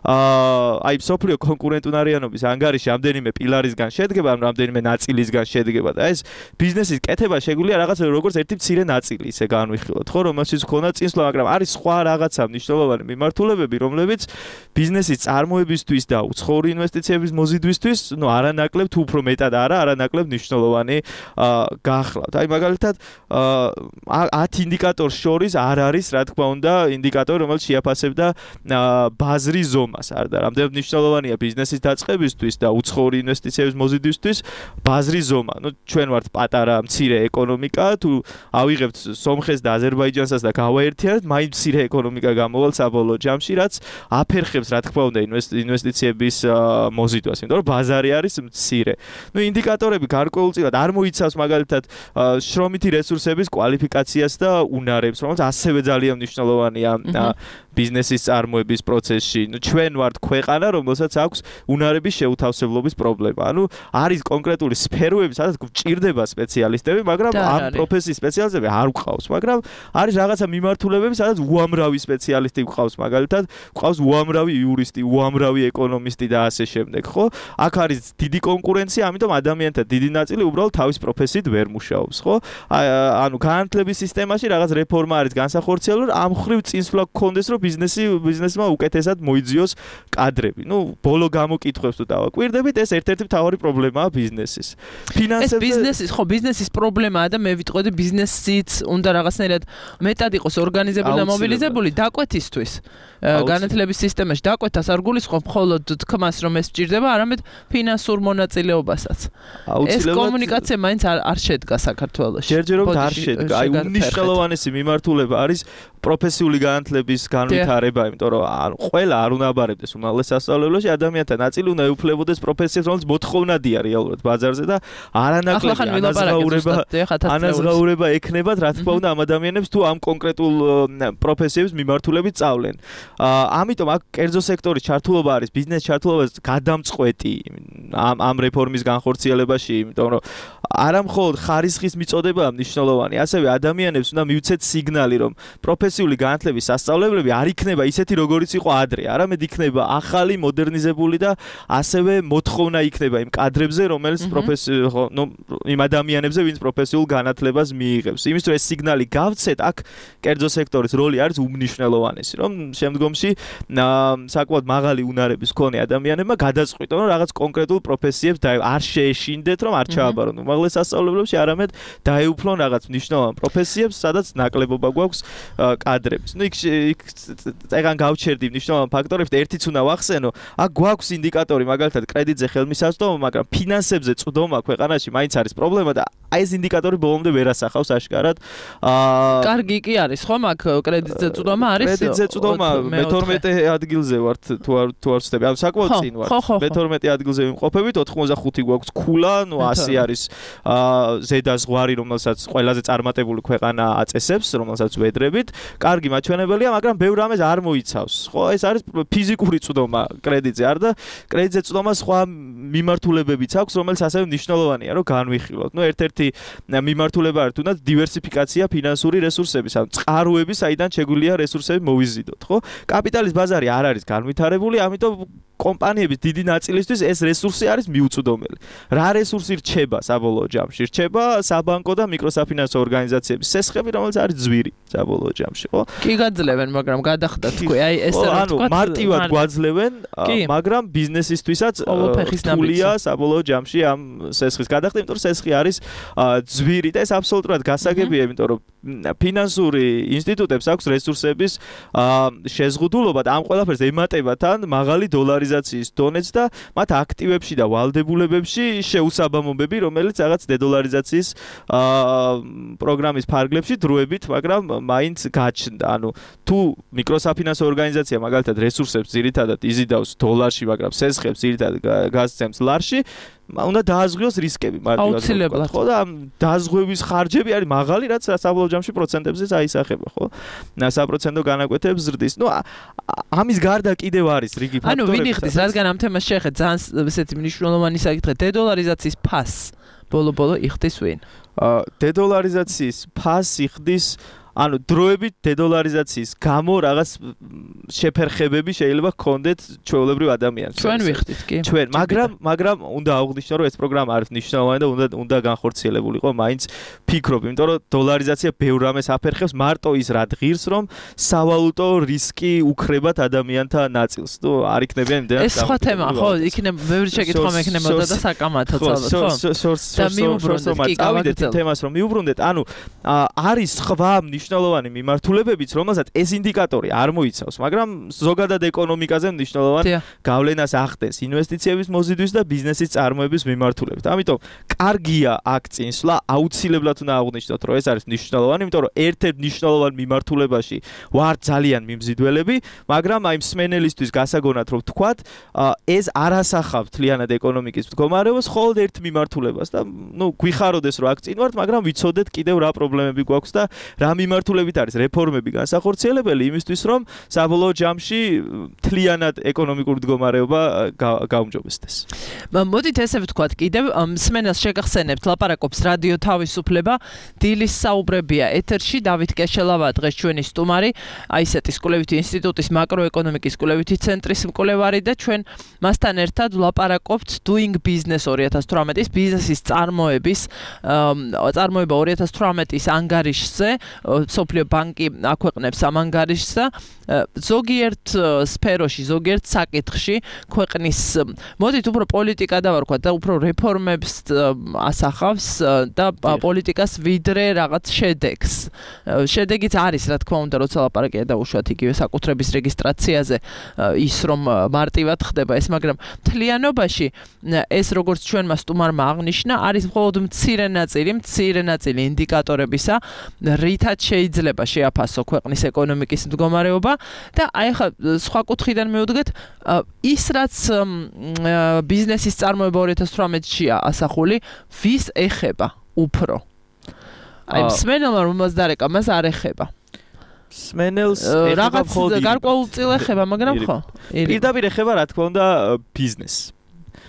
აა აი სოფლიო კონკურენტუნარიანობის ანგარიში ამდენიმე პილარისგან შედგება, ან რამდენიმე ნაწილისგან შედგება და ეს ბიზნესის კეთება შეგვიძლია რაღაც როგორც ერთი მცირე ნაწილი ისე განვიხილოთ, ხო, რომელშიც ქონა წინსვლა, მაგრამ არის სხვა რაღაცა მნიშვნელოვანი მიმართულებები, რომლებიც ბიზნესის წარმოებისთვის და უცხოური ინვესტიციების მოზიდვისთვის, ну, არანაკლებ თუ უფრო მეტად არა, არანაკლებ მნიშვნელოვანი გახლავთ. აი მაგალითად ათ ინდიკატორს შორის არ არის, რა თქმა უნდა, ინდიკატორი, რომელიც შეაფასებდა ბაზრის ზომას. არ და რამდენად მნიშვნელოვანია ბიზნესის დაწყებისთვის და უცხოური ინვესტიციების მოზიდვისთვის ბაზრის ზომა. ну, ჩვენ ვართ პატარა მცირე ეკონომიკა, თუ ავიღებთ სომხეთს და აზერბაიჯანსაც და გავაერთიანებთ, მაინც მცირე ეკონომიკა გამოვალ საბოლოო ჯამში, რაც აფერხებს, რა თქმა უნდა, ინვესტიციების მოზიდვას, იმიტომ რომ ბაზარი არის მცირე. ну, ინდიკატორები გარკვეულწილად არ მოიცავს მაგალითად შრომითი რესურსების კვალიფიკაციას და უნარებს, რომელიც ასევე ძალიან მნიშვნელოვანია ბიზნესის წარმოების პროცესში. ну, ჩვენ ვართ ქვეყანა, რომელსაც აქვს უნარების შეუთავსებლობის პრობლემა. ანუ არის კონკრეტული სფეროები, სადაც გვჭირდება სპეციალისტები, მაგრამ ამ პროფესიის სპეციალისტები არ გვყავს, მაგრამ არის რაღაცა მიმართულებები, სადაც უამრავი სპეციალისტი გვყავს, მაგალითად, გვყავს უამრავი იურისტი, უამრავი ეკონომისტი და ასე შემდეგ, ხო? აქ არის დიდი კონკურენცია, ამიტომ ადამიანთა დიდი ნაწილი უბრალოდ თავის პროფესიით ვერ მუშაობს, ხო? ანუ განათლების სისტემაში რაღაც რეფორმა არის განსახორციელებული, ამ ხრივ წინსვლა გქონდეს, რომ ბიზნესი ბიზნესმა უკეთესად მოიძიოს კადრები. ну, ბოლო გამოკითხვებს თუ დავაკვირდებით, ეს ერთ-ერთი მთავარი პრობლემაა ბიზნესის. ფინანსებზე ეს ბიზნესის, ხო, ბიზნესის პრობლემაა და მე ვიტყოდი ბიზნესიც უნდა რაღაცნაირად მეტად იყოს ორგანიზებული და მობილიზებული დაკვეთისთვის. განათლების სისტემაში დაკვეთას არ გულისხმობ მხოლოდ თქმას, რომ ეს სჭირდება, არამედ ფინანსურ მონაწილეობასაც. ეს კომუნიკაცია მაინც არ არ შედგა საქართველოში. ჯერჯერობით არ შედგა. აი უნიშნელოვანესი მიმართულება არის პროფესიული განათლების განვითარება, იმიტომ რომ ყველა არ უნდა აბარებდეს უმაღლეს სასწავლებლებში, ადამიანთა ნაწილი უნდა ეუფლებოდეს პროფესიას, რომელიც მოთხოვნადია რეალურად ბაზარზე და არანაკლები ანაზღაურება ანაზღაურება ექნებათ, რა თქმა უნდა, ამ ადამიანებს თუ ამ კონკრეტულ პროფესიების მიმართულებით სწავლენ. ამიტომ აქ კერძო სექტორის ჩართულობა არის ბიზნეს ჩართულობას გადამწყვეტი ამ ამ რეფორმის განხორციელებაში, იმიტომ რომ არა მხოლოდ ხარისხის მიწოდება მნიშვნელოვანი, ასევე ადამიანებს უნდა მივცეთ სიგნალი, რომ პროფესიული განათლების სასწავლებლები არ იქნება ისეთი, როგორიც იყო ადრე, არამედ იქნება ახალი, მოდერნიზებული და ასევე მოთხოვნა იქნება იმ კადრებზე, რომელიც პროფესიულ, ნუ იმ ადამიანებზე, ვინც პროფესიულ განათლებას მიიღებს. იმის თუ ეს სიგნალი გავცეთ, აქ კერძო სექტორის როლი არის უმნიშვნელოვანესი, რომ შემდგომში საკმაოდ მაღალი უნარების მქონე ადამიანებმა გადაწყვიტონ, რომ რაღაც კონკრეტულ პროფესიებს არ შეეშინდეთ, რომ არ ჩააბარონ უმაღლეს სასწავლებლებში, არამედ დაეუფლონ რაღაც მნიშვნელოვან პროფესიებს, სადაც ნაკლებობა გვაქვს კადრების. ну, იქ ეგან გავჩერდი მნიშვნელოვან ფაქტორებს და ერთიც უნდა ვახსენო, აქ გვაქვს ინდიკატორი, მაგალითად, კრედიტზე ხელმისაწვდომა, მაგრამ ფინანსებზე წვდომა ქვეყანაში მაინც არის პრობლემა და აი ეს ინდიკატორი ბოლომდე ვერ ასახავს აშკარად. აა კარგი კი არის, ხომ, აქ კრედიტზე წვდომა არის? კრედიტზე წვდომა მეთორმეტე ადგილზე ვართ, თუ არ თუ არ ვცდები. ანუ საკმაოდ წინ ვართ. მეთორმეტე ადგილზე ვიმყოფებით, ოთხმოცდახუთი გვაქვს ქულა, ну, ასი არის აა ზედაზღვარი, რომელსაც ყველაზე წარმატებული ქვეყანა აწესებს, რომელსაც ვედრებით. კარგი მაჩვენებელია, მაგრამ ბევრ რამეს არ მოიცავს. ხო, ეს არის ფიზიკური წვდომა კრედიტზე, არ და კრედიტზე წვდომა სხვა მიმართულებებიც აქვს, რომელიც ასევე მნიშვნელოვანია, რომ განვიხილოთ. ну, ერთ-ერთი მიმართულება არის თუნდაც დივერსიფიკაცია ფინანსური რესურსების, ანუ წყაროები, საიდან შეგვიძლია რესურსები მოვიზიდოთ, ხო? კაპიტალის ბაზარი არ არის განვითარებული, ამიტომ კომპანიების დიდი ნაწილისთვის ეს რესურსი არის მიუწვდომელი. რა რესურსი რჩება საბოლოო ჯამში? რჩება საბანკო და მიკროსაფინანსო ორგანიზაციების სესხები, რომელიც არის ძვირი საბოლოო ჯამში, ხო? კი გაძლევენ, მაგრამ გადახდა თქვი, აი ეს რა თქვა, ანუ მარტივად გვაძლევენ, მაგრამ ბიზნესისთვისაც რთულია საბოლოო ჯამში ამ სესხის გადახდა, იმიტომ რომ სესხი არის ძვირი და ეს აბსოლუტურად გასაგებია, იმიტომ რომ ფინანსური ინსტიტუტებს აქვს რესურსების შეზღუდულობა და ამ ყველაფერს ემატებათან მაღალი დოლარიზაციის დონეც და მათ აქტივებში და ვალდებულებებში შეუსაბამობები, რომელიც რაღაც დედოლარიზაციის პროგრამის ფარგლებში დროებით, მაგრამ მაინც გაჩნდა. ანუ თუ მიკროსაფინანსო ორგანიზაცია მაგალითად რესურსებს ძირითადად იზიდავს დოლარში, მაგრამ სესხებს ძირითადად გასცემს ლარში, უნდა დააზღვიოს რისკები მარტივად, ხო, და დააზღვევის ხარჯები არის მაღალი, რაც საბოლოო ჯამში პროცენტებზეც აისახება, ხო? საპროცენტო განაკვეთებს ზრდის. ну, ამის გარდა კიდევ არის რიგი ფაქტორები. ანუ ვინ იხდის, რადგან ამ თემას შეეხეთ ძალიან ესეთი მნიშვნელოვანი საკითხი, დედოლარიზაციის ფასს ბოლო-ბოლო იხდის ვინ? დედოლარიზაციის ფასი ხდის ანუ დროებით დედოლარიზაციის გამო რაღაც შეფერხებები შეიძლება გქონდეთ ჩვეულებრივ ადამიანს. ჩვენ ვიხდით კი. ჩვენ, მაგრამ მაგრამ უნდა აღვნიშნო, რომ ეს პროგრამა არის მნიშვნელოვანი და უნდა უნდა განხორციელებულიყო მაინც ფიქრობ, იმიტომ რომ დოლარიზაცია ბევრ რამეს აფერხებს, მარტო ის რა ღირს, რომ სავალუტო რისკი უქრებათ ადამიანთა ნაწილს. ნუ არ იქნებიან იმდენად. ეს სხვა თემაა, ხო, იქნება ბევრი შეკითხვა მექნებოდა და საკამათო ალბათ, ხო? და მიუბრუნდეთ კი გავაკეთეთ თემას რომ მიუბრუნდეთ, ანუ არის სხვა მნიშვნელოვანი მიმართულებებიც, რომელსაც ეს ინდიკატორი არ მოიცავს, მაგრამ ზოგადად ეკონომიკაზე მნიშვნელოვან გავლენას ახდენს ინვესტიციების მოზიდვის და ბიზნესის წარმოების მიმართულებით. ამიტომ კარგია აქ წინსვლა, აუცილებლად უნდა აღვნიშნოთ, რომ ეს არის მნიშვნელოვანი, იმიტომ რომ ერთ-ერთ მნიშვნელოვან მიმართულებაში ვარ ძალიან მიმზიდველები, მაგრამ აი მსმენელისთვის გასაგონად რომ ვთქვათ, ეს არ ასახავს თლიანად ეკონომიკის მდგომარეობას, მხოლოდ ერთ მიმართულებას და ნუ გვიხაროდეს რომ აქ წინ ვართ, მაგრამ ვიცოდეთ კიდევ რა პრობლემები გვაქვს და რა მიმართულებით არის რეფორმები განსახორციელებელი იმისთვის, რომ საბოლოო ჯამში თლიანად ეკონომიკური მდგომარეობა გაუმჯობესდეს. მოდით ესე ვთქვათ, კიდევ მსმენელს შეგახსენებთ, ლაპარაკობს რადიო თავისუფლება, დილის საუბრებია ეთერში, დავით კეშელავა დღეს ჩვენი სტუმარი, აისეტის კვლევითი ინსტიტუტის მაკროეკონომიკის კვლევითი ცენტრის მკვლევარი და ჩვენ მასთან ერთად ვლაპარაკობთ Doing Business ორი ათას თვრამეტის ბიზნესის წარმოების წარმოება ორი ათას თვრამეტის ანგარიშზე, სოფლიო ბანკი აქვეყნებს ამ ანგარიშს და ზოგიერთ სფეროში, ზოგიერთ საკითხში ქვეყნის მოდით უფრო პოლიტიკა დავარქვათ და უფრო რეფორმებს ასახავს და პოლიტიკას ვიდრე რაღაც შედეგს. შედეგიც არის, რა თქმა უნდა, როცა ლაპარაკია დაუშვათ იგივე საკუთრების რეგისტრაციაზე, ის რომ მარტივად ხდება ეს, მაგრამ მთლიანობაში ეს როგორც ჩვენმა სტუმარმა აღნიშნა, არის მხოლოდ მცირე ნაწილი, მცირე ნაწილი ინდიკატორებისა, რითაც შეიძლება შეაფასო ქვეყნის ეკონომიკის მდგომარეობა და აი ხა სხვა კუთხიდან მივუდგეთ, ის რაც ბიზნესის წარმოება ორი ათას თვრამეტშია ასახული, ვის ეხება უფრო? აი მსმენელმა რომელსაც დარეკა, მას არ ეხება. მსმენელს რაღაც გარკვეულწილ ეხება, მაგრამ ხო? პირდაპირ ეხება, რა თქმა უნდა, ბიზნესს.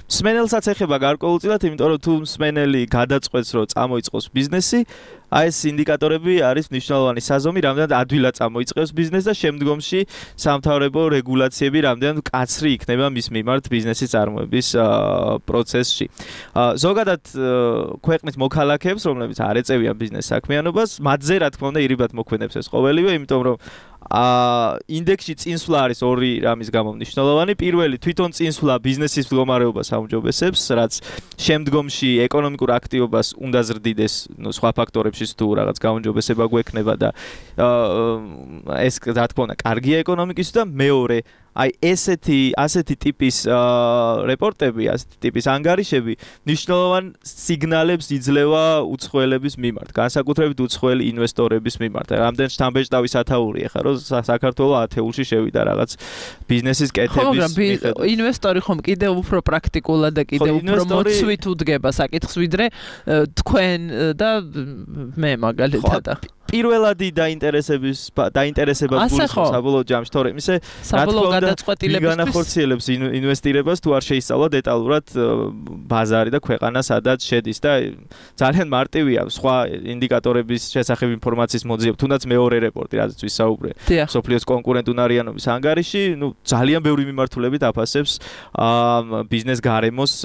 მსმენელსაც ეხება გარკვეულწილად, იმიტომ რომ თუ მსმენელი გადაწყვეტს, რომ წამოიწყოს ბიზნესი, აი ეს ინდიკატორები არის მნიშვნელოვანი საზომი, რამდენად ადვილად წამოიწყებს ბიზნესს და შემდგომში სამთავრობო რეგულაციები რამდენად მკაცრი იქნება მის მიმართ ბიზნესის წარმოების პროცესში. ზოგადად ქვეყნის მოქალაქეებს, რომლებიც არ ეწევიან ბიზნეს საქმიანობას, მათზე რა თქმა უნდა ირიბად მოქმედებს ეს ყოველივე, იმიტომ რომ აა ინდექსში წინსვლა არის ორი რამის გამო მნიშვნელოვანი. პირველი თვითონ წინსვლა ბიზნესის მდგომარეობას აუმჯობესებს, რაც შემდგომში ეკონომიკურ აქტივობას უნდა ზრდიდეს, ნუ სხვა ფაქტორებშიც თუ რაღაც გაუმჯობესება გვექნება და აა ეს რა თქმა უნდა კარგია ეკონომიკისთვის და მეორე აი ესეთი ასეთი ტიპის რეპორტები, ასეთი ტიპის ანგარიშები მნიშვნელოვან სიგნალებს იძლევა უცხოელების მიმართ, განსაკუთრებით უცხოელი ინვესტორების მიმართ. რამდენ შთამბეჭდავი სათაურია ხა, რომ საქართველოს ათეულში შევიდა რაღაც ბიზნესის კეთების მიხედვით. ინვესტორი ხომ კიდევ უფრო პრაქტიკულად და კიდევ უფრო მოწვით უდგება საკითხს, ვიდრე თქვენ და მე მაგალითად. პირველადი დაინტერესების დაინტერესებას გულისხმობს საბოლოო ჯამში, თორემ ისე რა თქმა უნდა განახორციელებს ინვესტირებას თუ არ შეისწავლა დეტალურად ბაზარი და ქვეყანა სადაც შედის და ძალიან მარტივია სხვა ინდიკატორების შესახებ ინფორმაციის მოძიება, თუნდაც მეორე რეპორტი, რაზეც ვისაუბრე, სოფლიოს კონკურენტუნარიანობის ანგარიში, ნუ ძალიან ბევრი მიმართულებით აფასებს ბიზნეს გარემოს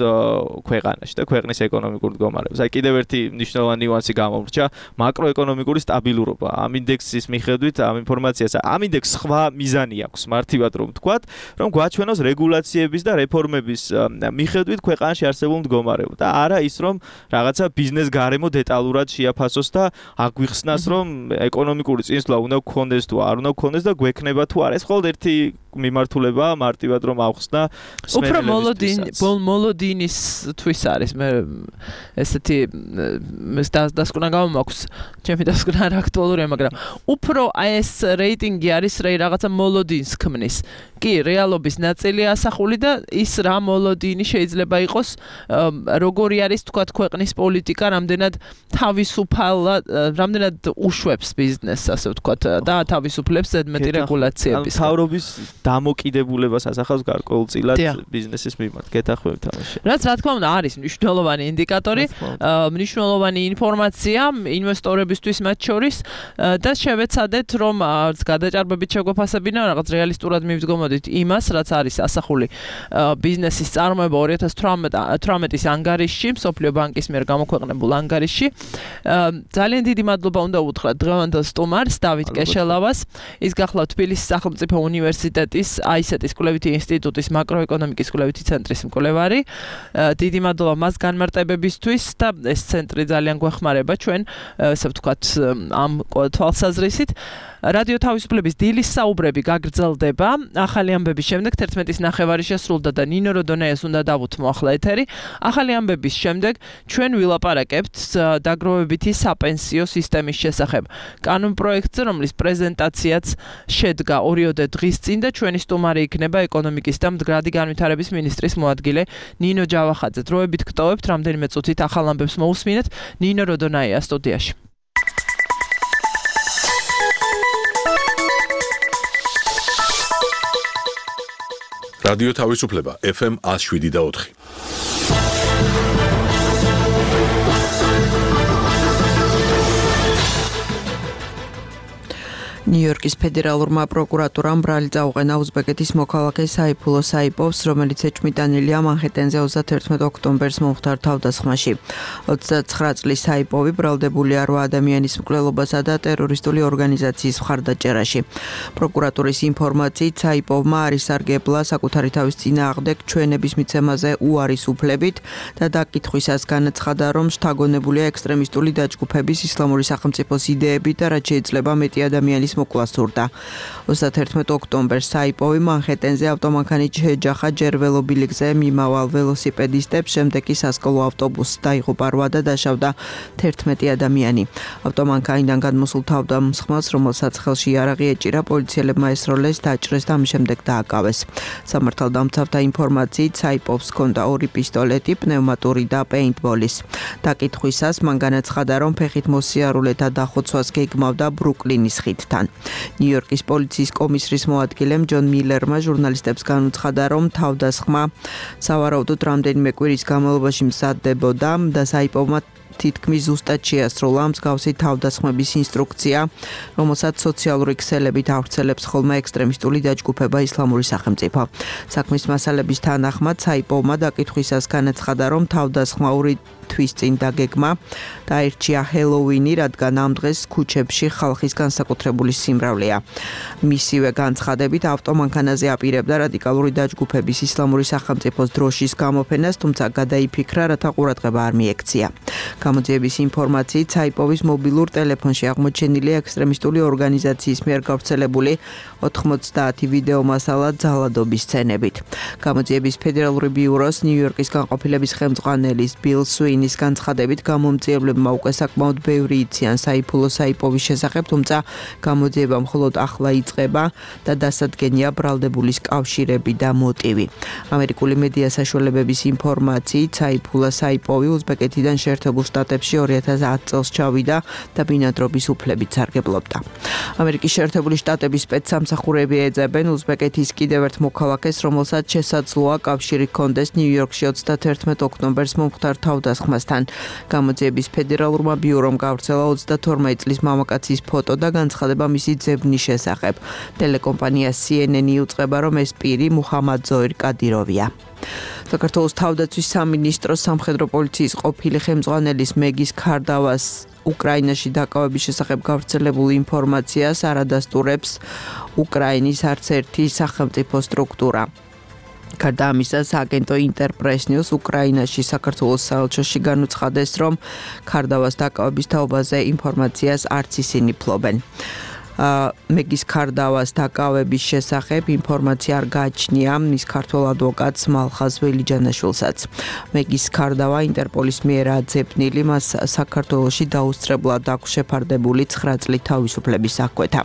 ქვეყანაში და ქვეყნის ეკონომიკურ მდგომარეობას. აი კიდევ ერთი მნიშვნელოვანი ნიუანსი გამომრჩა, მაკროეკონომიკური სტაბილურობა. ამ ინდექსის მიხედვით, ამ ინფორმაციას, ამ ინდექსს სხვა მიზანი აქვს, მარტივად რომ ვთქვათ, რომ გვაჩვენოს რეგულაციების და რეფორმების მიხედვით ქვეყანაში არსებულ მდგომარეობას და არა ის, რომ რაღაცა ბიზნეს გარემო დეტალურად შეაფასოს და აგვიხსნას, რომ ეკონომიკური წინსვლა უნდა გქონდეს თუ არ უნდა გქონდეს და გვექნება თუ არა. ეს მხოლოდ ერთი მიმართულება, მარტივად რომ ავხსნა სმენელებისთვისაც. უფრო მოლოდინ მოლოდინის თვის არის. მე ესეთი დასკვნა გამომაქვს, ჩემი დასკვნა რა აქტუალურია, მაგრამ უფრო აი ეს რეიტინგი არის რაღაცა მოლოდინს ქმნის. კი, რეალობის ნაწილი ასახული და ის რა მოლოდინი შეიძლება იყოს, როგორი არის თქვა ქვეყნის პოლიტიკა, რამდენად თავისუფალად, რამდენად უშვებს ბიზნესს, ასე ვთქვათ, და თავისუფლებს ზედმეტი რეგულაციების. თავრობის დამოკიდებულებას ასახავს გარკვეულწილად ბიზნესის მიმართ. გეთახმებით თამაში. რაც რა თქმა უნდა არის მნიშვნელოვანი ინდიკატორი, მნიშვნელოვანი ინფორმაცია ინვესტორებისთვის მათ შორის და შევეცადეთ რომ გადაჭარბებით შეგვეფასებინა რაღაც რეალისტურად მივდგომოდით იმას, რაც არის ასახული ბიზნესის წარმოება ორი ათას თვრამეტის ანგარიშში, მსოფლიო ბანკის მიერ გამოქვეყნებულ ანგარიშში. ძალიან დიდი მადლობა უნდა უთხრათ დღევანდელ სტუმარს, დავით კეშელავას. ის გახლავთ თბილისის სახელმწიფო უნივერსიტეტის აისეტის კვლევითი ინსტიტუტის მაკროეკონომიკის კვლევითი ცენტრის მკვლევარი. დიდი მადლობა მას განმარტებებისთვის და ეს ცენტრი ძალიან გვეხმარება ჩვენ, ასე ვთქვათ, ამ თვალსაზრისით. რადიო თავისუფლების დილის საუბრები გაგრძელდება. ახალი ამბების შემდეგ თერთმეტის ნახევარი შესრულდა და ნინო როდონეას უნდა დავუთმო ახლა ეთერი. ახალი ამბების შემდეგ ჩვენ ვილაპარაკებთ დაგროვებითი საპენსიო სისტემის შესახებ. კანონპროექტზე, რომლის პრეზენტაციაც შედგა ორიოდე დღის წინ და ჩვენი სტუმარი იქნება ეკონომიკის და მდგრადი განვითარების მინისტრის მოადგილე ნინო ჯავახაძე. დროებით გტოვებთ, რამდენიმე წუთით ახალ ამბებს მოусმინეთ. ნინო როდონეა სტუდიაში. რადიო თავისუფლება ეფ ემ one oh seven და ოთხი. ნიუ-იორკის ფედერალურმა პროკურატურამ ბრალი წაუყენა უზბეკეთის მოქალაქე საიფულო საიპოვს, რომელიც ეჭვმიტანილია მანჰეტენზე ოცდათერთმეტ ოქტომბერს მომხდარ თავდასხმაში. ოცდაცხრა წლის საიპოვი ბრალდებულია რვა ადამიანის მკვლელობასა და ტერორისტული ორგანიზაციის მხარდაჭერაში. პროკურატურის ინფორმაციით საიპოვმა არის სარგებლა საკუთარი თავის წინააღმდეგ ჩვენების მიცემაზე უარის უფლებით და დაკითხვისას განაცხადა, რომ შთაგონებულია ექსტრემისტული დაჯგუფების ისლამური სახელმწიფოს იდეებით და რაც შეიძლება მეტი ადამიანის მოკლა სურდა. ოცდათერთმეტ ოქტომბერს საიპოვი მანჰეტენზე ავტომანქანით შეეჯახა ჯერ ველობილიკზე მიმავალ ველოსიპედისტებს, შემდეგ კი სასკოლო ავტობუსს დაიღუპა რვა და დაშავდა თერთმეტი ადამიანი. ავტომანქანიდან გადმოსულ თავდამსხმელს, რომელსაც ხელში იარაღი ეჭირა, პოლიციელებმა ესროლეს, დაჭრეს და ამის შემდეგ დააკავეს. სამართალდამცავთა ინფორმაციით საიპოვს ჰქონდა ორი პისტოლეტი, პნევმატური და პეინტბოლის. დაკითხვისას მან განაცხადა, რომ ფეხით მოსიარულეთა დახოცვას გეგმავდა ბრუკლინის ხიდთან. ნიუ-იორკის პოლიციის კომისრის მოადგილემ ჯონ მილერმა ჟურნალისტებს განუცხადა, რომ თავდასხმა სავარაუდოდ რამდენიმე კვირის განმავლობაში მზადდებოდა და საიპოვმა თითქმის ზუსტად შეასრულა მსგავსი თავდასხმების ინსტრუქცია, რომელსაც სოციალური ქსელებით ავრცელებს ხოლმე ექსტრემისტული დაჯგუფება ისლამური სახელმწიფო. საქმის მასალების თანახმად საიპოვმა დაკითხვისას განაცხადა, რომ თავდასხმა ორი თვის წინ დაგეგმა დაირჩია ჰელოუინი, რადგან ამ დღეს ქუჩებში ხალხის განსაკუთრებული სიმრავლეა. მისივე განცხადებით ავტომანქანაზე აპირებდა რადიკალური დაჯგუფების ისლამური სახელმწიფოს დროშის გამოფენას, თუმცა გადაიფიქრა, რათა ყურადღება არ მიექცია. გამოძიების ინფორმაციით საიპოვის მობილურ ტელეფონში აღმოჩენილია ექსტრემისტული ორგანიზაციის მიერ გავრცელებული ოთხმოცდაათი ვიდეო მასალა ძალადობის სცენებით. გამოძიების ფედერალური ბიუროს ნიუ-იორკის განყოფილების ხელმძღვანელის ბილ სუინის განცხადებით გამომძიებლებმა უკვე საკმაოდ ბევრი იციან საიფულო საიპოვის შესახებ, თუმცა გამოძიება მხოლოდ ახლა იწყება და დასადგენია ბრალდებულის კავშირები და მოტივი. ამერიკული მედია საშუალებების ინფორმაციით საიფულა საიპოვი უზბეკეთიდან შეერთებულ შტატებში ორი ათას ათი წელს ჩავიდა და ბინადრობის უფლებით სარგებლობდა. ამერიკის შეერთებული შტატების სპეცსამსახურები ეძებენ უზბეკეთის კიდევ ერთ მოქალაქეს, რომელსაც შესაძლოა კავშირი ჰქონდეს ნიუ-იორკში ოცდათერთმეტ ოქტომბერს მომხდარ თავდასხმასთან. გამოძიების ფედერალურმა ბიურომ გავრცელა ოცდათორმეტ წლის მამაკაცის ფოტო და განცხადება მისი ძებნის შესახებ. ტელეკომპანია სი ენ ენი იუწყება, რომ ეს პირი მუჰამად ზოირ კადიროვია. საქართველოს თავდაცვის სამინისტროს სამხედრო პოლიციის ყოფილი ხელმძღვანელის მეგის ქარდავას უკრაინაში დაკავების შესახებ გავრცელებულ ინფორმაციას არ ადასტურებს უკრაინის არც ერთი სახელმწიფო სტრუქტურა. გარდა ამისა, სააგენტო ინტერპრეს ნიუს უკრაინაში საქართველოს საელჩოში განუცხადეს, რომ ქარდავას დაკავების თაობაზე ინფორმაციას არც ისინი ფლობენ. მეგის ქარდავას დაკავების შესახებ ინფორმაცია არ გააჩნია მის ქართველ ადვოკატს მალხაზ ველიჯანაშვილსაც. მეგის ქარდავა ინტერპოლის მიერ აძებნილი მას საქართველოში დაუსწრებლად აქვს შეფარდებული ცხრა წლით თავისუფლების აღკვეთა.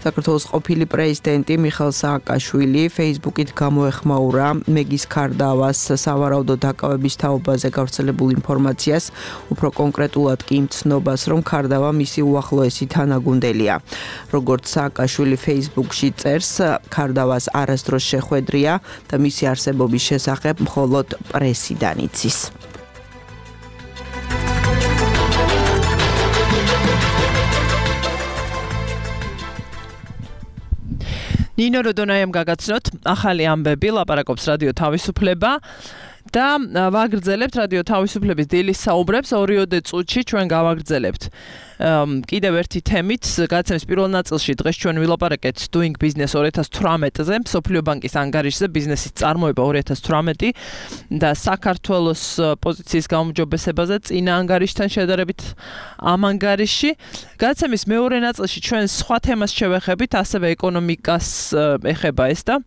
საქართველოს ყოფილი პრეზიდენტი მიხეილ სააკაშვილი Facebook-ით გამოეხმაურა მეგის ქარდავას სავარაუდო დაკავების თაობაზე გავრცელებულ ინფორმაციას, უფრო კონკრეტულად კი იმ ცნობას, რომ ქარდავა მისი უახლოესი თანაგუნდელია. როგორც სააკაშვილი Facebook-ში წერს, ქარდავას არასდროს შეხვედრია და მისი არსებობის შესახებ მხოლოდ პრესიდან იცის. ნინო როდონაიამ გაგაცნოთ ახალი ამბები, ლაპარაკობს რადიო თავისუფლება და ვაგრძელებთ რადიო თავისუფლების დილის საუბრებს ორიოდე წუთში ჩვენ გავაგრძელებთ. კიდევ ერთი თემით, გაცემის პირველ ნაწილში დღეს ჩვენ ვილაპარაკეთ Doing Business ორი ათას თვრამეტზე, მსოფლიო ბანკის ანგარიშზე ბიზნესის წარმოება ორი ათას თვრამეტი და საქართველოს პოზიციის გაუმჯობესებაზე წინა ანგარიშთან შედარებით ამ ანგარიში. გაცემის მეორე ნაწილში ჩვენ სხვა თემას შევეხებით, ასევე ეკონომიკას ეხება ეს და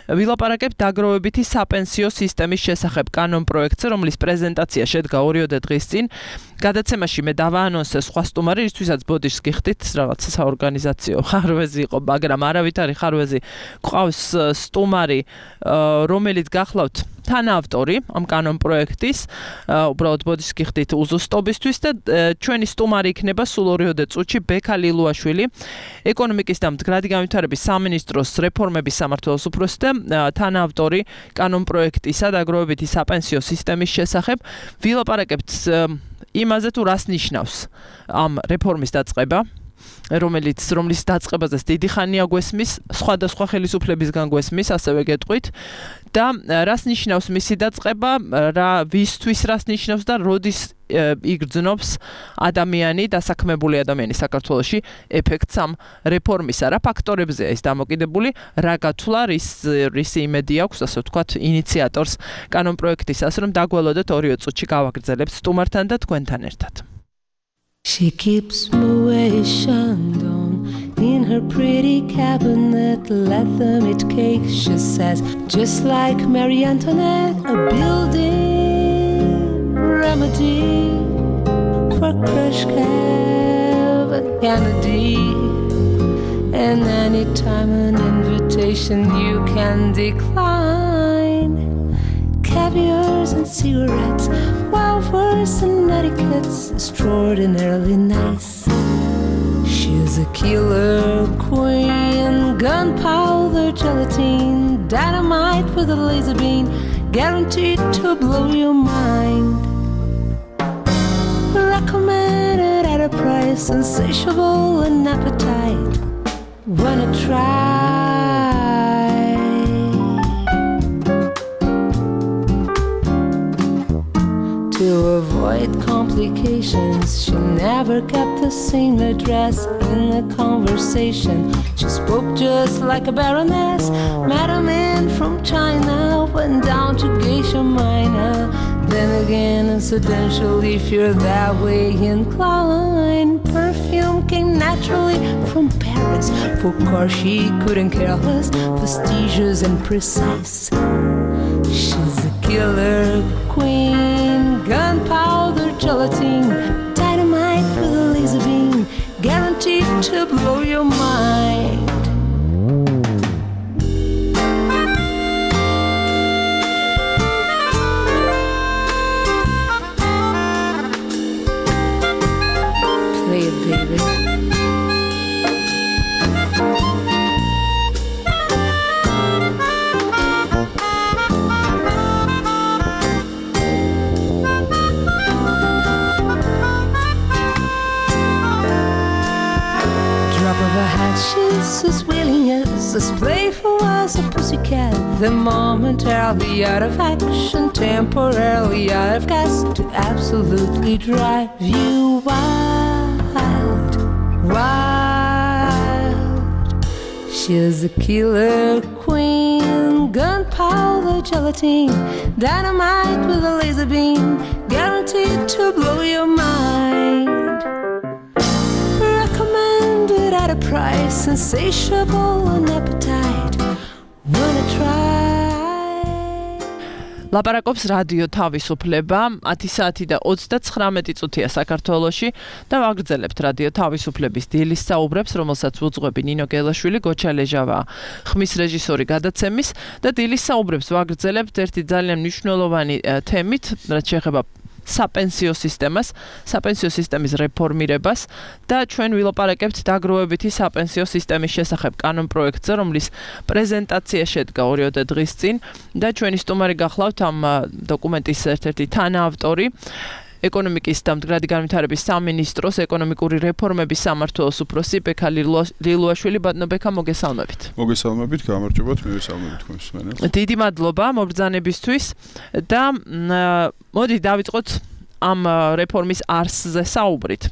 ვილაპარაკებთ დაგროვებითი sapensio სისტემის შესახებ კანონ პროექტზე, რომლის პრეზენტაცია შედგა ორიოდე დღის წინ. გადაცემაში მე დავაანონსე სხვა სტუმარი, რისთვისაც ბოდიშს გიხდით, რაღაცა საორგანიზაციო ხარვეზი იყო, მაგრამ არავითარი ხარვეზი ყავს სტუმარი, რომელიც გახლავთ თანაავტორი ამ კანონ პროექტის, უბრალოდ ბოდიშს გიხდით უზუსტობისთვის და ჩვენი სტუმარი იქნება სულ ორიოდე წუთში ბექა ლილუაშვილი, ეკონომიკის და მდგრადი განვითარების სამინისტროს რეფორმების სამმართველოს უფროსი და თანაავტორი კანონ პროექტისა და დაგროვებითი საპენსიო სისტემის შესახებ. ვილაპარაკებთ იმაზე თუ რას ნიშნავს ამ რეფორმის დაწყება, რომელიც რომლის დაწყებაზეც დიდი ხანია გვესმის, სხვადასხვა ხელისუფლებისგან გვესმის, ასევე გეტყვით და რას ნიშნავს მისი დაწყება, რა ვისთვის რას ნიშნავს და როდის იგრძნობს ადამიანი, დასაქმებული ადამიანი საქართველოში ეფექტს ამ რეფორმისა, რა ფაქტორებზეა ის დამოკიდებული, რა გათვლა, რის რის იმედი აქვს, ასე ვთქვათ, ინიციატორს კანონ პროექტისას, რომ დაგველოდეთ ორიო წუთში გავაგრძელებთ სტუმართან და თქვენთან ერთად. She keeps Moet Chandon in her pretty cabinet, let them eat cake, she says, just like Marie Antoinette, a building remedy for Khrushchev and Kennedy. And anytime an invitation you can decline, caviars and cigarettes, wafers and etiquette's extraordinarily nice. She's a killer queen, gunpowder gelatine, dynamite with a laser beam, guaranteed to blow your mind. Recommended at a price, insatiable and appetite. Wanna try? To avoid complications, she never kept the same address in the conversation. She spoke just like a baroness, met a man from China, went down to Geisha Minor. Then again, incidentally, if you're that way inclined, perfume came naturally from Paris. For course, she couldn't care less, prestigious and precise. She's a killer queen, gunpowder gelatine, dynamite with a laser beam, guaranteed to blow your mind. Play it, baby. She's as willing as as playful as a pussycat. The momentarily out of action, temporarily out of gas, to absolutely drive you wild, wild. She's a killer queen, gunpowder gelatine, dynamite with a laser beam, guaranteed to blow your mind. Recommended at a price, insatiable on appetite. Wanna try? ლაპარაკობს რადიო თავისუფლება ათი საათი და ოცდაცხრამეტი წუთია საქართველოში და ვაგრძელებთ რადიო თავისუფლების დილის საუბრებს, რომელსაც უძღვები ნინო გელაშვილი, გოჩა ლეჟავა, ხმის რეჟისორი გადაცემის და დილის საუბრებს ვაგრძელებთ ერთი ძალიან მნიშვნელოვანი თემით, რაც შეეხება საპენსიო სისტემას, საპენსიო სისტემის რეფორმირებას და ჩვენ ვილაპარაკებთ დაგროვებითი საპენსიო სისტემის შესახებ კანონპროექტზე, რომლის პრეზენტაცია შედგა ორიოდე დღის წინ და ჩვენი სტუმარი გახლავთ ამ დოკუმენტის ერთ-ერთი თანაავტორი, ეკონომიკის და მდგრადი განვითარების სამინისტროს ეკონომიკური რეფორმების სამმართველოს უფროსი ბექა ლილუაშვილი. ბატონო ბექა, მოგესალმებით. მოგესალმებით, გამარჯობათ, მივესალმებით თქვენს მსმენელს. დიდი მადლობა მობრძანებისთვის და მოდი დავიწყოთ ამ რეფორმის არსზე საუბრით.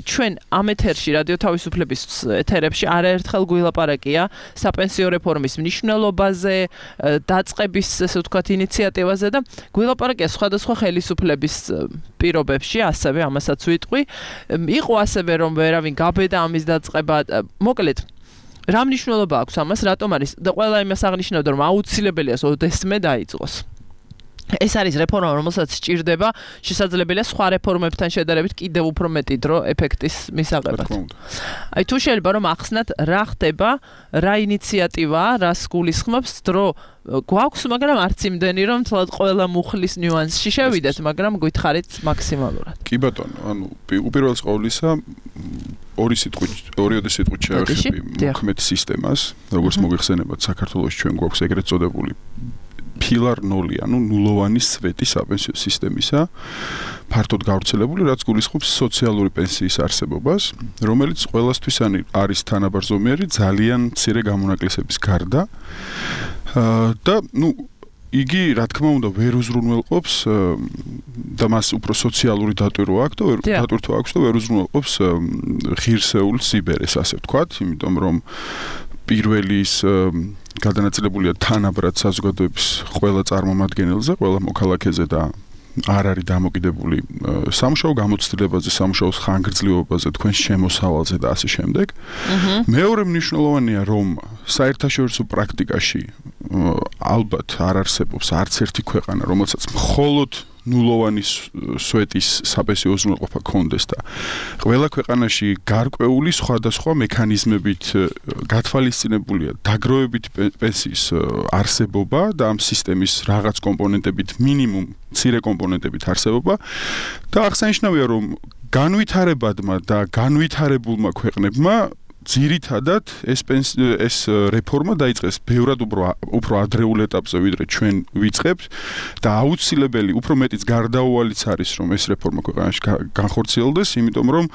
ჩვენ ამ ეთერში რადიო თავისუფლების ეთერებში არაერთხელ გვილაპარაკია საპენსიო რეფორმის მნიშვნელობაზე, დაწყების, ესე ვთქვათ, ინიციატივაზე და გვილაპარაკია სხვადასხვა ხელისუფლების პირობებში, ასევე ამასაც ვიტყვი. იყო ასევე რომ ვერავინ გაბედა ამის დაწყება, მოკლედ რა მნიშვნელობა აქვს ამას, რატომ არის და ყველა იმას აღნიშნავდა, რომ აუცილებელია ოდესმე დაიწყოს. ეს არის რეფორმა, რომელსაც სჭირდება შესაძლებელია სხვა რეფორმებთან შედარებით კიდევ უფრო მეტი დრო ეფექტის მისაღებად. აი თუ შეიძლება რომ ახსნათ რა ხდება, რა ინიციატივაა, რას გულისხმობს დრო გვაქვს, მაგრამ არც იმდენი რომ თლად ყველა მუხლის ნიუანსში შევიდეთ, მაგრამ გითხარით მაქსიმალურად. კი ბატონო, ანუ უპირველეს ყოვლისა ორი სიტყვით, ორიოდე სიტყვით შევეხები მოქმედ სისტემას, როგორც მოგეხსენებათ, საქართველოს ჩვენ გვაქვს ეგრეთ წოდებული ფილარ ნული, ანუ ნულოვანი სვეტი საპენსიო სისტემისა, ფართოდ გავრცელებული, რაც გულისხმობს სოციალური პენსიის არსებობას, რომელიც ყველასთვის არის თანაბარზომიერი ძალიან მცირე გამონაკლისების გარდა. და, ну, იგი, რა თქმა უნდა, ვერ უზრუნველყოფს და მას უფრო სოციალური დატვირთვა აქვს და დატვირთვა აქვს და ვერ უზრუნველყოფს ღირსეულ სიბერეს, ასე ვთქვათ, იმიტომ რომ პირველი ის გადანაწილებულია თანაბრად საზოგადოების ყველა წარმომადგენელზე, ყველა მოქალაქეზე და არ არის დამოკიდებული სამუშაო გამოცდილებაზე, სამუშაოს ხანგრძლივობაზე, თქვენს შემოსავალზე და ასე შემდეგ. მეორე მნიშვნელოვანია, რომ საერთაშორისო პრაქტიკაში ალბათ არ არსებობს არც ერთი ქვეყანა, რომელსაც მხოლოდ ნულოვანი სვეტის საპენსიო უზრუნველყოფა კონდეს და ყველა ქვეყანაში გარკვეული სხვადასხვა მექანიზმებით გათვალისწინებულია დაგროვებითი პენსიის არსებობა და ამ სისტემის რაღაც კომპონენტებით, მინიმუმ მცირე კომპონენტებით არსებობა და აღსანიშნავია, რომ განვითარებადმა და განვითარებულმა ქვეყნებმა ძირითადად ეს ეს რეფორმა დაიწყეს ბევრად უფრო უფრო ადრეულ ეტაპზე, ვიდრე ჩვენ ვიწყებთ და აუცილებელი, უფრო მეტიც გარდაუვალიც არის, რომ ეს რეფორმა ქვეყანაში განხორციელდეს, იმიტომ რომ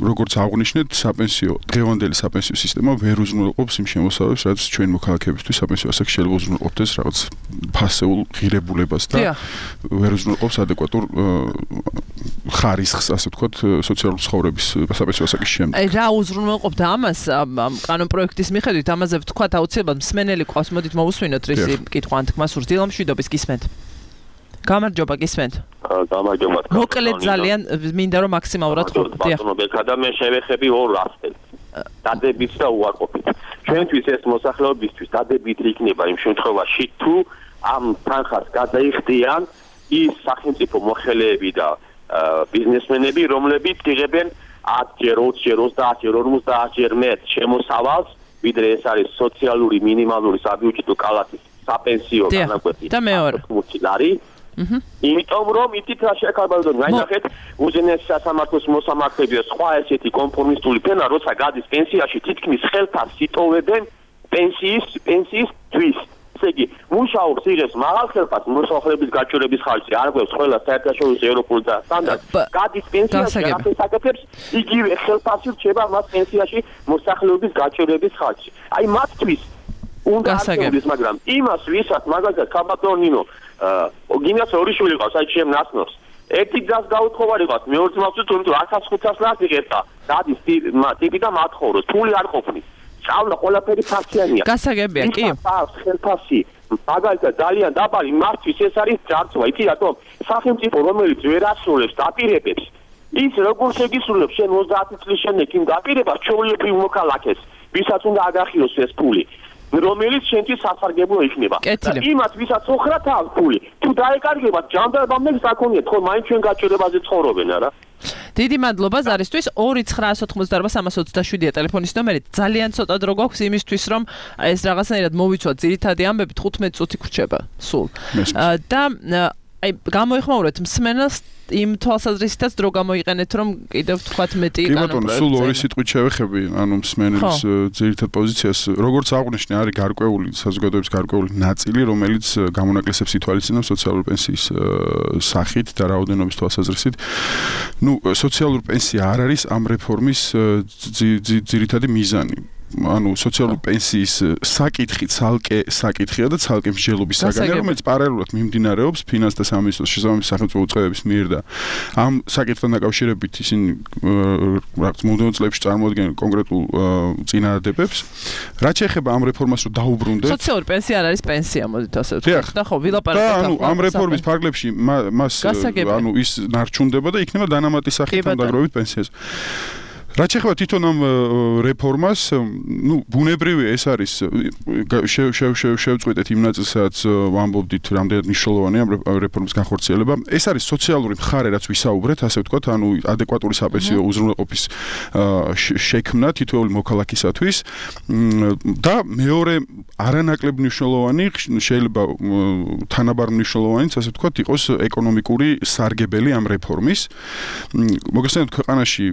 როგორც აღვნიშნეთ, საპენსიო, დღევანდელი საპენსიო სისტემა ვერ უზრუნველყოფს იმ შემოსავალს, რაც ჩვენ მოქალაქეებისთვის საპენსიო ასაკში შეიძლება უზრუნველყოფდეს რაღაც ფასეულ ღირებულებას და ვერ უზრუნველყოფს ადეკვატურ ხარისხს, ასე ვთქვათ, სოციალური ცხოვრების საპენსიო ასაკის შემდეგ. აი რა უზრუნველყოფდა ამას კანონპროექტის მიხედვით, ამაზე ვთქვათ აუცილებლად მსმენელი ყავს, მოდით მოვუსვინოთ რისი კითხვა ან თქმა სურს. დილამშვიდობის გისმენთ. გამარჯობა, გისმენთ. გამარჯობა. მოკლედ ძალიან მინდა რომ მაქსიმალურად ხოვდე. ბატონო ბექა და მე შევეხები ორ ასპექტს. დადებით და უარყოფით. ჩვენთვის ეს მოსახლეობისთვის დადებით იქნება იმ შემთხვევაში, თუ ამ თანხას გადაიხდიან ის სახელმწიფო მოხელეები და ბიზნესმენები, რომლებიც იღებენ ათჯერ, ოცჯერ, ოცდაათჯერ, ორმოცდაათჯერ მეტ შემოსავალს, ვიდრე ეს არის სოციალური მინიმალური საბიუჯეტო კალათის საპენსიო განაკვეთი. და მეორე. ლარი. იმიტომ რომ ითით რა შეკარბალდონ, გაინახეთ, უზენაესი სასამართლოს მოსამართლეები და სხვა ესეთი კონფორმისტული ფენა, როცა გადის პენსიაში, თითქმის ხელფასს იტოვებენ პენსიის პენსიის თვის. ესე იგი, მუშაობს იღებს მაღალ ხელფასს, მოსახლეობის გაჩვენების ხარჯზე, არ გვაქვს ყველა საერთაშორისო ევროპული და სტანდარტი. გადის პენსიაში, ასე საკეთებს, იგივე ხელფასი რჩება მას პენსიაში მოსახლეობის გაჩვენების ხარჯზე. აი მათთვის უნდა აღწევდეს, მაგრამ იმას ვისაც მაგალითად კაბატონინო გინას ორი შვილი ყავს, აი ჩემ ნაცნობს. ერთი გზას გაუთხოვარი ყავს, მეორე ძმას თუ თუ ათას ხუთას ლარი იღებდა. დადის ტიპი და მათხოვროს, ფული არ ყოფნის. სწავლა ყველაფერი ფასიანია. გასაგებია, კი. ხელფასი მაგალითად ძალიან დაბალი მართვის ეს არის ჯარცვა, იცი რატომ? სახელმწიფო რომელიც ვერ ასრულებს დაპირებებს ის როგორ შეგისრულებს შენ ოცდაათი წლის შემდეგ იმ დაპირებას ჩვეულებრივ მოქალაქეს, ვისაც უნდა აგახიოს ეს ფული, რომელიც შენთვის სასარგებლო იქნება. და იმათ, ვისაც ოხრათ აქვს ფული, თუ დაეკარგებათ ჯანდაბამდე საკონიათ, ხო მაინც ჩვენ გაჭირებაზე ცხოვრობენ, არა? დიდი მადლობა ზარისთვის. ორი ცხრაასი ოცდაოთხმოცდაარბა სამას ოცდაშვიდია ტელეფონის ნომერი. ძალიან ცოტა დრო გვაქვს იმისთვის, რომ ეს რაღაცნაირად მოვიცვათ ძირითადი ამბები, თხუთმეტ წუთი გრჩება სულ. და აი გამოიხმაურეთ მსმენელს იმ თვალსაზრისითაც დრო გამოიყენეთ, რომ კიდევ თქვათ მეტი კი ბატონო, სულ ორი სიტყვით შევეხები, ანუ მსმენელის ძირითად პოზიციას, როგორც აღნიშნე, არის გარკვეული საზოგადოების გარკვეული ნაწილი, რომელიც გამონაკლისებს ითვალისწინებს სოციალური პენსიის სახით და რაოდენობის თვალსაზრისით. ნუ სოციალური პენსია არ არის ამ რეფორმის ძირითადი მიზანი. ანუ სოციალური პენსიის საკითხი ცალკე საკითხია და ცალკე მსჯელობის საგანია, რომელიც პარალელურად მიმდინარეობს ფინანსთა სამინისტროს შესაბამისი სახელმწიფო უწყებების მიერ და ამ საკითხთან დაკავშირებით ისინი რაღაც მომდევნო წლებში წარმოადგენენ კონკრეტულ წინააღმდეგობებს. რაც შეეხება ამ რეფორმას რომ დაუბრუნდეთ, სოციალური პენსია არ არის პენსია, მოდით ასე ვთქვათ. და ხო, ვილაპარაკეთ ახლა. ანუ ამ რეფორმის ფარგლებში მას ანუ ის ნარჩუნდება და იქნება დანამატი სახით დამდაგროვებით პენსიაზე. რაც შეეხება თვითონ ამ რეფორმას, ნუ ბუნებრივია ეს არის შევწყვეტეთ იმ ნაწილს, სადაც ვამბობდით, რამდენად მნიშვნელოვანია ამ რეფორმის განხორციელება. ეს არის სოციალური მხარე, რაც ვისაუბრეთ, ასე ვთქვათ, ანუ ადეკვატური საპენსიო უზრუნველყოფის შექმნა თითოეული მოქალაქისათვის და მეორე არანაკლებ მნიშვნელოვანი, შეიძლება თანაბარ მნიშვნელოვანიც, ასე ვთქვათ, იყოს ეკონომიკური სარგებელი ამ რეფორმის. მოგესალმებით, ქვეყანაში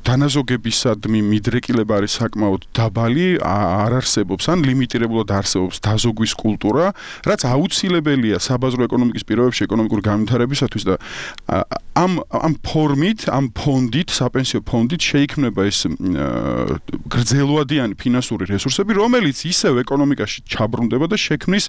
დანაზოგებისადმი მიდრეკილება არის საკმაოდ დაბალი, არ არსებობს ან ლიმიტირებულად არსებობს დაზოგვის კულტურა, რაც აუცილებელია საბაზრო ეკონომიკის პირობებში ეკონომიკური განვითარებისათვის და ამ ამ ფორმით, ამ ფონდით, საპენსიო ფონდით შეიქმნება ეს გრძელვადიანი ფინანსური რესურსები, რომელიც ისევ ეკონომიკაში ჩაბრუნდება და შექმნის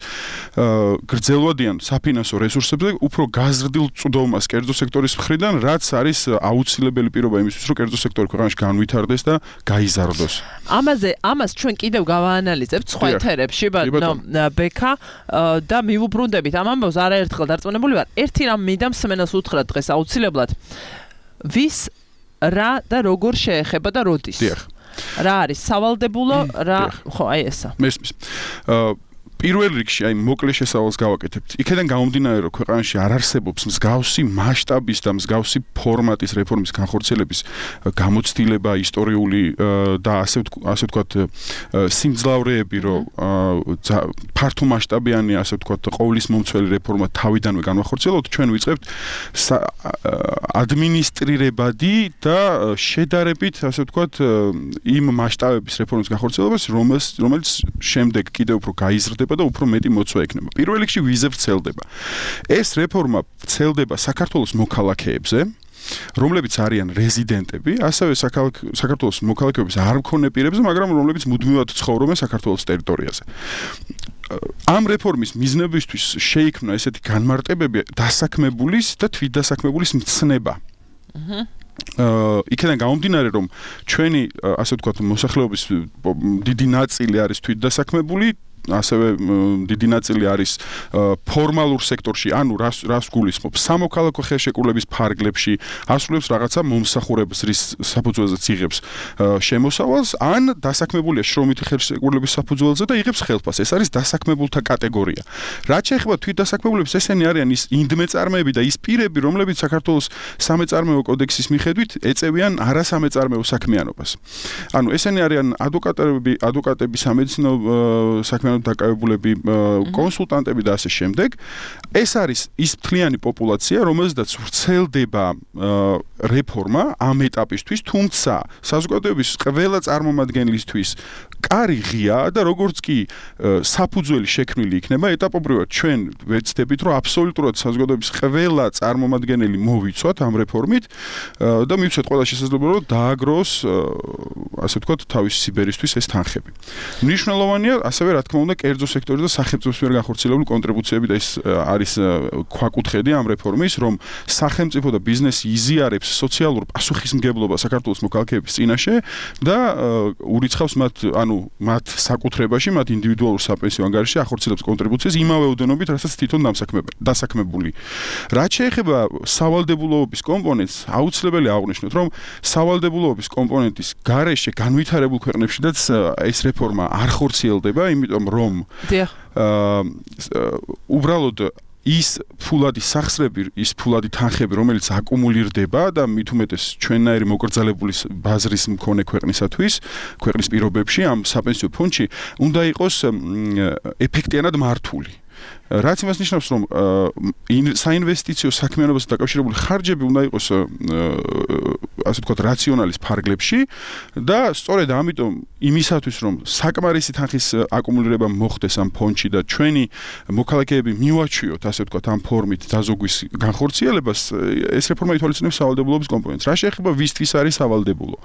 გრძელვადიან საფინანსო რესურსებზე უფრო გაზრდილ წვდომას კერძო სექტორის მხრიდან, რაც არის აუცილებელი პირობა იმისთვის, რომ კერძო სექტორი ქვეყანაში განვითარდეს და გაიზარდოს. ამაზე, ამას ჩვენ კიდევ გავაანალიზებთ სხვა ეთერებში, ბატონო ბექა და მივუბრუნდებით ამ ამბავს არაერთხელ დარწმუნებული ვარ. ერთი რამ მინდა მსმენელს უთხრათ დღეს აუცილებლად. ვის რა და როგორ შეეხება და როდის? რა არის სავალდებულო, რა ხო, აი ესა. მესმის. აა პირველ რიგში აი მოკლე შესავალს გავაკეთებთ. იქიდან გამომდინარე, რომ ქვეყანაში არ არსებობს მსგავსი მასშტაბის და მსგავსი ფორმატის რეფორმის განხორციელების გამოცდილება, ისტორიული და ასე ასე ვთქვათ სიმძლავრეები, რომ ფართო მასშტაბიანი, ასე ვთქვათ, ყოვლის მომცველი რეფორმა თავიდანვე განახორციელოთ, ჩვენ ვიწყებთ ადმინისტრირებადი და შედარებით, ასე ვთქვათ, იმ მასშტაბების რეფორმის განხორციელებას, რომელიც შემდეგ კიდევ უფრო გაიზრდება და უფრო მეტი მოცვა ექნება. პირველ რიგში ვიზე ვრცელდება. ეს რეფორმა ვრცელდება საქართველოს მოქალაქეებზე, რომლებიც არიან რეზიდენტები, ასევე საქართველოს მოქალაქეობის არ მქონე პირებზე, მაგრამ რომლებიც მუდმივად ცხოვრობენ საქართველოს ტერიტორიაზე. ამ რეფორმის მიზნებისთვის შეიქმნა ესეთი განმარტებები დასაქმებულის და თვითდასაქმებულის მცნება. აჰა იქიდან გამომდინარე, რომ ჩვენი, ასე ვთქვათ, მოსახლეობის დიდი ნაწილი არის თვითდასაქმებული, ასევე დიდი ნაწილი არის ფორმალურ სექტორში, ანუ რას რას გულისხმობს სამოქალაქო ხელშეკრულების ფარგლებში, ასრულებს რაღაცა მომსახურების რის საფუძველზეც იღებს შემოსავალს, ან დასაქმებულია შრომითი ხელშეკრულების საფუძველზე და იღებს ხელფასს. ეს არის დასაქმებულთა კატეგორია. რაც შეეხება თვითდასაქმებულებს, ესენი არიან ის ინდმეწარმეები და ის პირები, რომლებიც საქართველოს სამეწარმეო კოდექსის მიხედვით ეწევიან არასამეწარმეო საქმიანობას. ანუ ესენი არიან ადვოკატები, ადვოკატები, სამედიცინო საქმიანობის დაკავებულები, კონსულტანტები და ასე შემდეგ. ეს არის ის მთლიანი პოპულაცია, რომელზედაც ვრცელდება რეფორმა ამ ეტაპისთვის, თუმცა საზოგადოების ყველა წარმომადგენლისთვის კარი ღია და როგორც კი საფუძველი შექმნილი იქნება, ეტაპობრივად ჩვენ ვეცდებით, რომ აბსოლუტურად საზოგადოების ყველა წარმომადგენელი მოვიცვათ ამ რეფორმით და მივცეთ ყველა შესაძლებლობა, რომ დააგროს, ასე ვთქვათ, თავისი სიბერისთვის ეს თანხები. მნიშვნელოვანია ასევე, რა თქმა უნდა, კერძო სექტორი და სახელმწიფოს მიერ განხორციელებული კონტრიბუციები და ეს არის ქვაკუთხედი ამ რეფორმის, რომ სახელმწიფო და ბიზნესი იზიარებს სოციალურ პასუხისმგებლობას საქართველოს მოქალაქეების წინაშე და ურიცხავს მათ, ანუ ანუ მათ საკუთრებაში, მათ ინდივიდუალურ საპენსიო ანგარიშში ახორციელებს კონტრიბუციას იმავე ოდენობით, რასაც თვითონ დასაქმებული. რაც შეეხება სავალდებულოების კომპონენტს, აუცილებელი აღვნიშნოთ, რომ სავალდებულოების კომპონენტის გარეშე განვითარებულ ქვეყნებშიც ეს რეფორმა არ ხორციელდება, იმიტომ რომ აა უბრალოდ ის ფულადი სახსრები, ის ფულადი თანხები, რომელიც აკუმულირდება და მით უმეტეს ჩვენნაირი მოკრძალებული ბაზრის მქონე ქვეყნისათვის, ქვეყნის პირობებში ამ საპენსიო ფონდში უნდა იყოს ეფექტიანად მართული. რაც იმას ნიშნავს, რომ საინვესტიციო საქმიანობასთან დაკავშირებული ხარჯები უნდა იყოს ასე ვთქვათ, რაციონალის ფარგლებში და სწორედ ამიტომ იმისათვის, რომ საკმარისი თანხის აკუმულირება მოხდეს ამ ფონდში და ჩვენი მოქალაქეები მივაჩვიოთ, ასე ვთქვათ, ამ ფორმით დაზოგვის განხორციელებას, ეს რეფორმა ითვალისწინებს სავალდებულოების კომპონენტს. რა შეეხება ვისთვის არის სავალდებულო?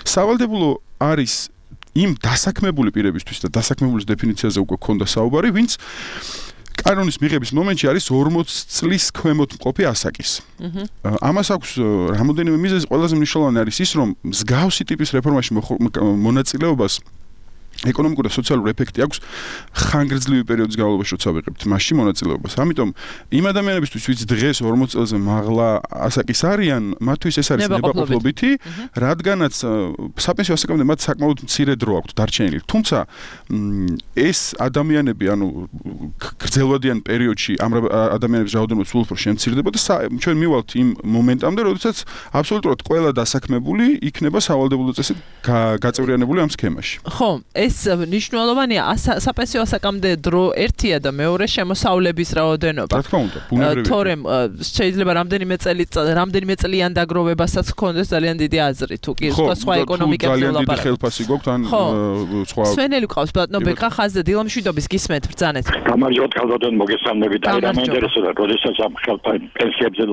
სავალდებულო არის იმ დასაქმებული პირებისთვის და დასაქმებულის დეფინიციაზე უკვე ქონდა საუბარი, ვინც კანონის მიღების მომენტში არის ორმოც წლის ქვემოთ მყოფი ასაკის. ამას აქვს რამოდენიმე მიზეზი, ყველაზე მნიშვნელოვანი არის ის, რომ მსგავსი ტიპის რეფორმაში მონაწილეობას ეკონომიკური და სოციალური ეფექტი აქვს ხანგრძლივი პერიოდის განმავლობაში, როცა ვიღებთ მასში მონაწილეობას. ამიტომ იმ ადამიანებისთვის, ვინც დღეს ორმოც წელზე მაღლა ასაკის არიან, მათთვის ეს არის ნებაყოფლობითი, რადგანაც საპენსიო ასაკამდე მათ საკმაოდ მცირე დრო აქვთ დარჩენილი. თუმცა ეს ადამიანები, ანუ გრძელვადიან პერიოდში ამ ადამიანების რაოდენობა სულ უფრო შემცირდება და ჩვენ მივალთ იმ მომენტამდე, როდესაც აბსოლუტურად ყველა დასაქმებული იქნება სავალდებულო წესით გაწევრიანებული ამ სქემაში. ხო, ეს ნიშნულოვანია, საპენსიო ასაკამდე დრო ერთია და მეორე შემოსავლების რაოდენობა. რა თქმა უნდა, ბუნებრივია. თორემ შეიძლება რამდენიმე წელი რამდენიმე წლიან დაგროვებასაც გქონდეს ძალიან დიდი აზრი, თუ კი სხვა სხვა ეკონომიკებზე ლაპარაკობთ. ძალიან დიდი ხელფასი გვაქვს ან სხვა. სვენელი ყავს ბატონო ბეკა ხაზზე დილამშვიდობის გისმენთ ბრძანეთ. გამარჯობათ ქალბატონ მოგესალმებით. აი რა მაინტერესებდა, როდესაც ამ პენსიებზე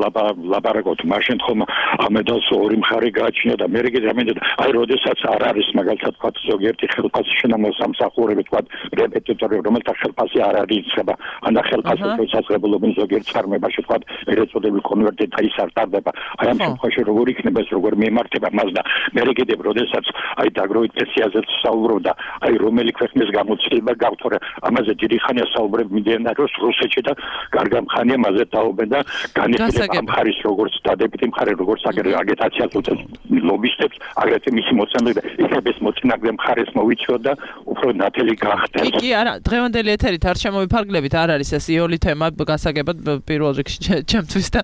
ლაპარაკობთ, მაშინ ხომ ამედალს ორი მხარე გააჩნია და მე რიგით ამენდა, აი როდესაც არ არის მაგალითად თქვა ზოგიერთი ხელფასი შენამოს სამსახურები თქვა რეპეტიტორი, რომელთა ხელფასი არ არის იცება, ან ხელფასი შესაძლებლობენ ზოგიერთ ფარმებაში თქვა ერეწოდები კონვერტირდა ის არ ტარდება. აი ამ შემთხვევაში როგორ იქნება ეს, როგორ მიემართება მას და მე რიგით როდესაც აი დაგროვით პენსიაზე საუბრობდა, აი რომელი ქვეყნის გამოცდილება გაქვთ, თორე ამაზე დიდი ხანია საუბრები მიმდინარეობს რუსეთში და კარგი ხანია მასზე დაობენ და განიხილება ამ ხარის როგორც დადებითი მხარე, როგორც აგიტაციას უწევს ლობისტებს, აგრეთვე მისი მოწინააღმდეგე იქნება ეს მოწინააღმდეგე მხარეს მოვიწვიოთ და უფრო ნათელი გახდეს. კი, არა, დღევანდელი ეთერით არ შემოვიფარგლებით, არ არის ეს იოლი თემა გასაგებად პირველ რიგში ჩემთვის და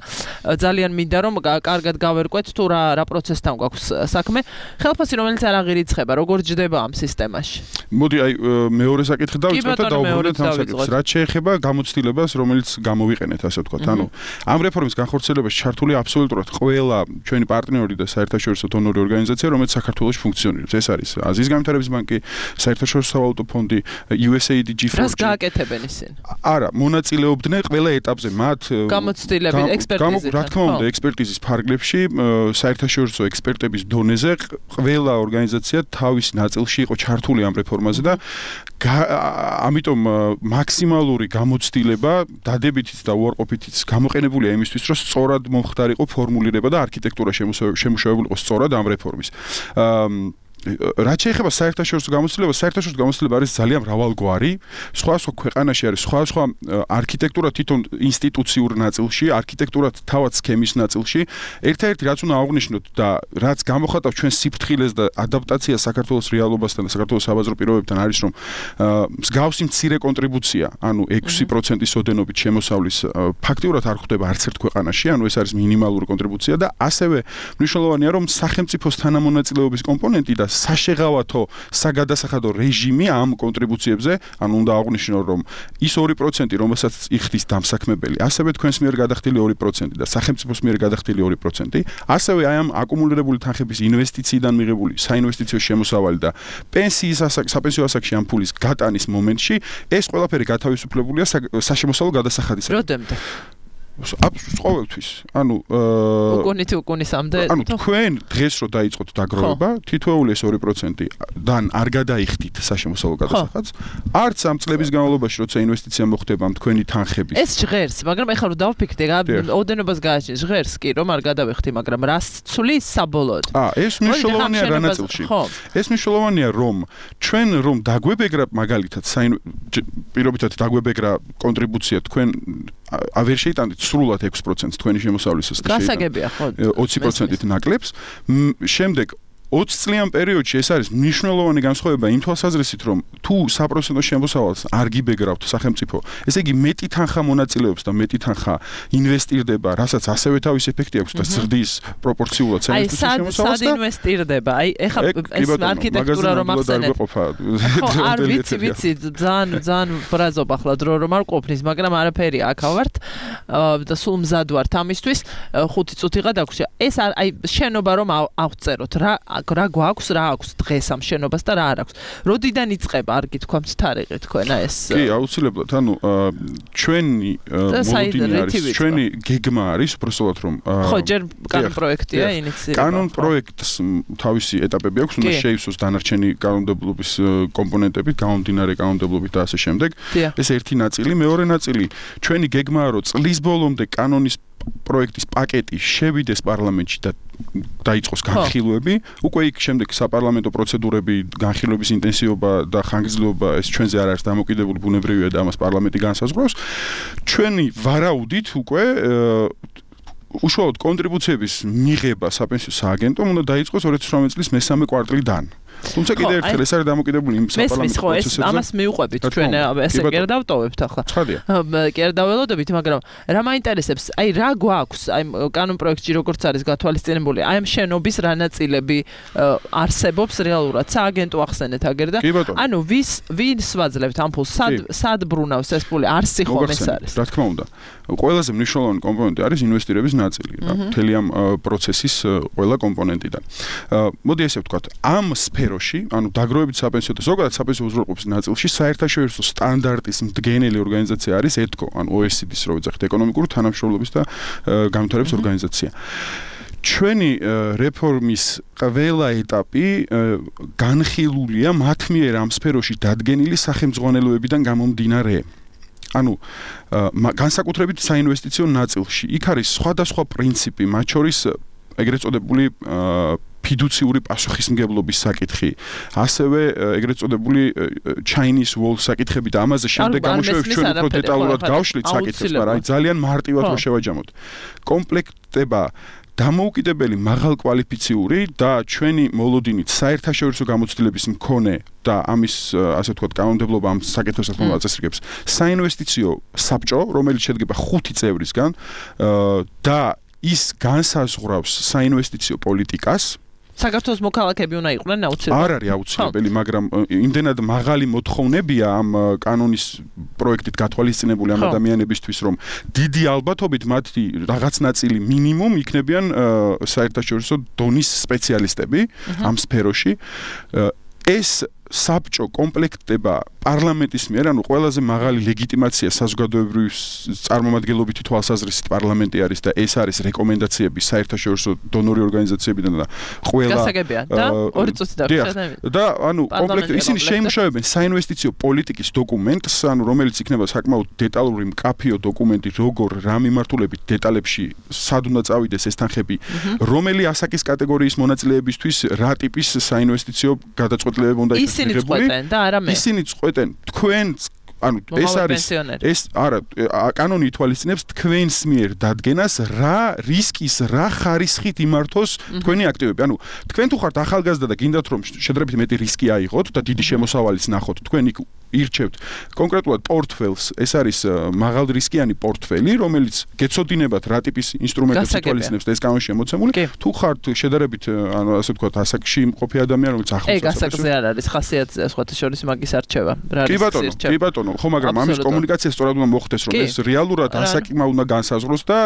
ძალიან მინდა რომ კარგად გავერკვეთ თუ რა რა პროცესთან გვაქვს საქმე. ხელფასი რომელიც არ აღირიცხება, როგორ ჯდება ამ სისტემაში? მოდი აი მეორე საკითხი დავიწყოთ და დავუბრუნდეთ ამ საკითხს. რაც შეეხება გამოცდილებას, რომელიც გამოვიყენეთ, ასე ვთქვათ. ანუ ამ რეფორმის განხორციელებაში ჩართული აბსოლუტურად ყველა ჩვენი პარტნიორი და საერთაშორისო დონორი ორგანიზაცია, რომელიც საქართველოში ფუნქციონირებს. ეს არის აზიის განვითარების ბანკი, საერთაშორისო სავალუტო ფონდი, იუ ეს ეი დი, ჯი ფორ ჯი. რას გააკეთებენ ისინი? არა, მონაწილეობდნენ ყველა ეტაპზე მათ გამოცდილებით, ექსპერტიზით. რა თქმა უნდა, ექსპერტიზის ფარგლებში, საერთაშორისო ექსპერტების დონეზე ყველა ორგანიზაცია თავის ნაწილში იყო ჩართული ამ რეფორმაზე და ამიტომ მაქსიმალური გამოცდილება დადებითიც და უარყოფითიც გამოყენებულია იმისთვის, რომ სწორად მომხდარიყო ფორმულირება და არქიტექტურა შემუშავებული იყო სწორად ამ რეფორმის. რაც შეეხება საერთაშორისო გამოცდილებას, საერთაშორისო გამოცდილება არის ძალიან მრავალგვარი. სხვა სხვა ქვეყანაში არის სხვა სხვა არქიტექტურა თვითონ ინსტიტუციურ ნაწილში, არქიტექტურა თავად სქემის ნაწილში. ერთ-ერთი რაც უნდა აღვნიშნოთ და რაც გამოხატავს ჩვენ სიფრთხილეს და ადაპტაციას საქართველოს რეალობასთან და საქართველოს საბაზრო პირობებთან არის, რომ მსგავსი მცირე კონტრიბუცია, ანუ ექვსი პროცენტის ოდენობით შემოსავლის ფაქტიურად არ ხვდება არც ერთ ქვეყანაში, ანუ ეს არის მინიმალური კონტრიბუცია და ასევე მნიშვნელოვანია, რომ სახელმწიფოს თანამონაწილეობის კომპონენტი და საშეღავათო საგადასახადო რეჟიმი ამ კონტრიბუციებზე, ანუ უნდა აღვნიშნო, რომ ის ორი პროცენტი, რომელსაც იხდის დამსაქმებელი, ასევე თქვენს მიერ გადახდილი ორი პროცენტი და სახელმწიფოს მიერ გადახდილი ორი პროცენტი, ასევე აი ამ აკუმულირებული თანხების ინვესტიციიდან მიღებული საინვესტიციო შემოსავალი და პენსიის საპენსიო ასაკში ამ ფულის გატანის მომენტში ეს ყველაფერი გათავისუფლებულია საშემოსავლო გადასახადისაგან. როდემდე? ყოველთვის. ანუ უკუნით უკუნისამდე. ანუ თქვენ დღეს რო დაიწყოთ დაგროვება, თითოეული ეს ორი პროცენტი-დან არ გადაიხდით საშემოსავლო გადასახადს, არც ამ წლების განმავლობაში, როცა ინვესტიცია მოხდება ამ თქვენი თანხების. ეს ჟღერს, მაგრამ ეხლა რომ დავფიქრდე, ოდენობას გააჩნი, ჟღერს კი, რომ არ გადავიხდი, მაგრამ რას ცვლის საბოლოოდ? აა, ეს მნიშვნელოვანია რა ნაწილში. ეს მნიშვნელოვანია, რომ ჩვენ რომ დაგვებეგრა მაგალითად პირობითად დაგვებეგრა კონტრიბუცია თქვენ ავერ შეიტანეთ სრულად ექვს პროცენტს თქვენი შემოსავლისას და გასაგებია ხო ოცი პროცენტით ნაკლებს შემდეგ ოცი წლიან პერიოდში ეს არის მნიშვნელოვანი განსხვავება იმ თვალსაზრისით რომ თუ საპროცენტო შემოსავალს არ გიბეგრავთ სახელმწიფო ესე იგი მეტი თანხა მონაწილეობს და მეტი თანხა ინვესტირდება რასაც ასევე თავის ეფექტი აქვს და ზრდის პროპორციულად საინვესტიციო შემოსავალს და აი სად ინვესტირდება აი ეხლა ეს არქიტექტურა რომ ახსენეთ ხო არ ვიცი ვიცი ძალიან ძალიან ბრაზობ ახლა დრო რომ არ ყოფნის მაგრამ არაფერი აქ ავართ და სულ მზად ვართ ამისთვის ხუთი წუთიღა დაგვრჩა ეს აი შენობა რომ ავწეროთ რა რა გვაქვს რა აქვს დღეს ამ შენობას და რა არ აქვს. როდიდან იწყება არ გითქვამთ თარიღი თქვენა ეს? კი, აუცილებლად. ანუ ჩვენი მოლოდინი არის, ჩვენი გეგმა არის, უბრალოდ რომ ხო, ჯერ კანონ პროექტია ინიციირება. კანონ პროექტს თავისი ეტაპები აქვს, უნდა შეივსოს დანარჩენი კანონმდებლობის კომპონენტები, გამომდინარე კანონმდებლობით და ასე შემდეგ. ეს ერთი ნაწილი, მეორე ნაწილი ჩვენი გეგმაა, რომ წლის ბოლომდე კანონის პროექტის პაკეტი შევიდეს პარლამენტში და დაიწყოს განხილვები. უკვე იქ შემდეგ საპარლამენტო პროცედურები, განხილვების ინტენსივობა და ხანგრძლივობა ეს ჩვენზე არ არის დამოკიდებული, ბუნებრივია და ამას პარლამენტი განსაზღვრავს. ჩვენი ვარაუდით უკვე უშუალოდ კონტრიბუციების მიღება საპენსიო სააგენტომ უნდა დაიწყოს ორი ათი ოცდაოთხ წლის მესამე კვარტლიდან. თუმცა კიდევ ერთხელ ეს არის დამოკიდებული იმ საპარლამენტო პროცესებზე. ამას მიუყვებით ჩვენ ესე კი არ დავტოვებთ ახლა. კი არ დაველოდებით, მაგრამ რა მაინტერესებს, აი რა გვაქვს, აი კანონ პროექტში როგორც არის გათვალისწინებული, აი ამ შენობის რა ნაწილები არსებობს რეალურად, სააგენტო ახსენეთ აგერ და ანუ ვის ვინს ვაძლევთ ამ ფულს, სად სად ბრუნავს ეს ფული, არსი ხომ ეს არის. რა თქმა უნდა. ყველაზე მნიშვნელოვანი კომპონენტი არის ინვესტირების ნაწილი, რა, მთელი ამ პროცესის ყველა კომპონენტიდან. მოდი ესე ვთქვათ, ამ სფეროში, ანუ დაგროვებით საპენსიო და ზოგადად საპენსიო უზრუნველყოფის ნაწილში საერთაშორისო სტანდარტის მდგენელი ორგანიზაცია არის ეთკო, ანუ O E C D-ს რო ვიძახით, ეკონომიკური თანამშრომლობის და განვითარების ორგანიზაცია. ჩვენი რეფორმის ყველა ეტაპი განხილულია მათ მიერ ამ სფეროში დადგენილი სახელმძღვანელოებიდან გამომდინარე. ანუ განსაკუთრებით საინვესტიციო ნაწილში. იქ არის სხვადასხვა პრინციპი, მათ შორის ეგრეთ წოდებული ფიდუციური პასუხისმგებლობის საკითხი, ასევე ეგრეთ წოდებული Chinese wall საკითხები და ამაზე შემდეგ გამოშვებით ჩვენ უფრო დეტალურად გავშლით საკითხებს, მაგრამ აი ძალიან მარტივად რო შევაჯამოთ. კომპლექტება დამოუკიდებელი მაღალკვალიფიციური და ჩვენი მოლოდინით საერთაშორისო გამოცდილების მქონე და ამის ასე ვთქვათ კანონმდებლობა ამ საკითხებს აწესრიგებს საინვესტიციო საბჭო, რომელიც შედგება ხუთი წევრისგან და ის განსაზღვრავს საინვესტიციო პოლიტიკას. საქართველოს მოქალაქეები უნდა იყვნენ აუცილებლად. არ არის აუცილებელი, მაგრამ იმდენად მაღალი მოთხოვნებია ამ კანონის პროექტით გათვალისწინებული ამ ადამიანებისთვის, რომ დიდი ალბათობით მათი რაღაც ნაწილი მინიმუმ იქნებიან საერთაშორისო დონის სპეციალისტები ამ სფეროში. ეს საბჭო კომპლექტდება პარლამენტის მიერ, ანუ ყველაზე მაღალი ლეგიტიმაცია საზოგადოებრივი წარმომადგენლობითი თვალსაზრისით პარლამენტი არის და ეს არის რეკომენდაციები საერთაშორისო დონორი ორგანიზაციებიდან და ყველა გასაგებია და ორი წუთი დაგვრჩა და ანუ კომპლექტ ისინი შეიმუშავებენ საინვესტიციო პოლიტიკის დოკუმენტს, ანუ რომელიც იქნება საკმაოდ დეტალური მკაფიო დოკუმენტი, როგორ რა მიმართულებით დეტალებში სად უნდა წავიდეს ეს თანხები, რომელი ასაკის კატეგორიის მონაწილეებისთვის რა ტიპის საინვესტიციო გადაწყვეტილებები უნდა იქნას. ისინი წყვეტენ და არა მე. ისინი წყვეტენ თქვენ ანუ ეს არის ეს არა კანონი ითვალისწინებს თქვენს მიერ დადგენას რა რისკის რა ხარისხით იმართოს თქვენი აქტივები. ანუ თქვენ თუ ხართ ახალგაზრდა და გინდათ რომ შედარებით მეტი რისკი აიღოთ და დიდი შემოსავალიც ნახოთ, თქვენ იქ ირჩევთ კონკრეტულად პორტფელს, ეს არის მაღალრისკიანი პორტფელი, რომელიც გეცოდინებათ რა ტიპის ინსტრუმენტებს ითვალისწინებს და ეს კანონში შემოცემული. თუ ხართ შედარებით ანუ ასე ვთქვათ ასაკში მყოფი ადამიანი, რომელიც ახლოს ეს გასაგზე არ არის ხასიათზე სხვათა შორის მაგის არჩევა. კი ბატონო, კი ბატონო, ხო, მაგრამ ამის კომუნიკაცია სწორად უნდა მოხდეს, რომ ეს რეალურად ასაკმა უნდა განსაზღვროს და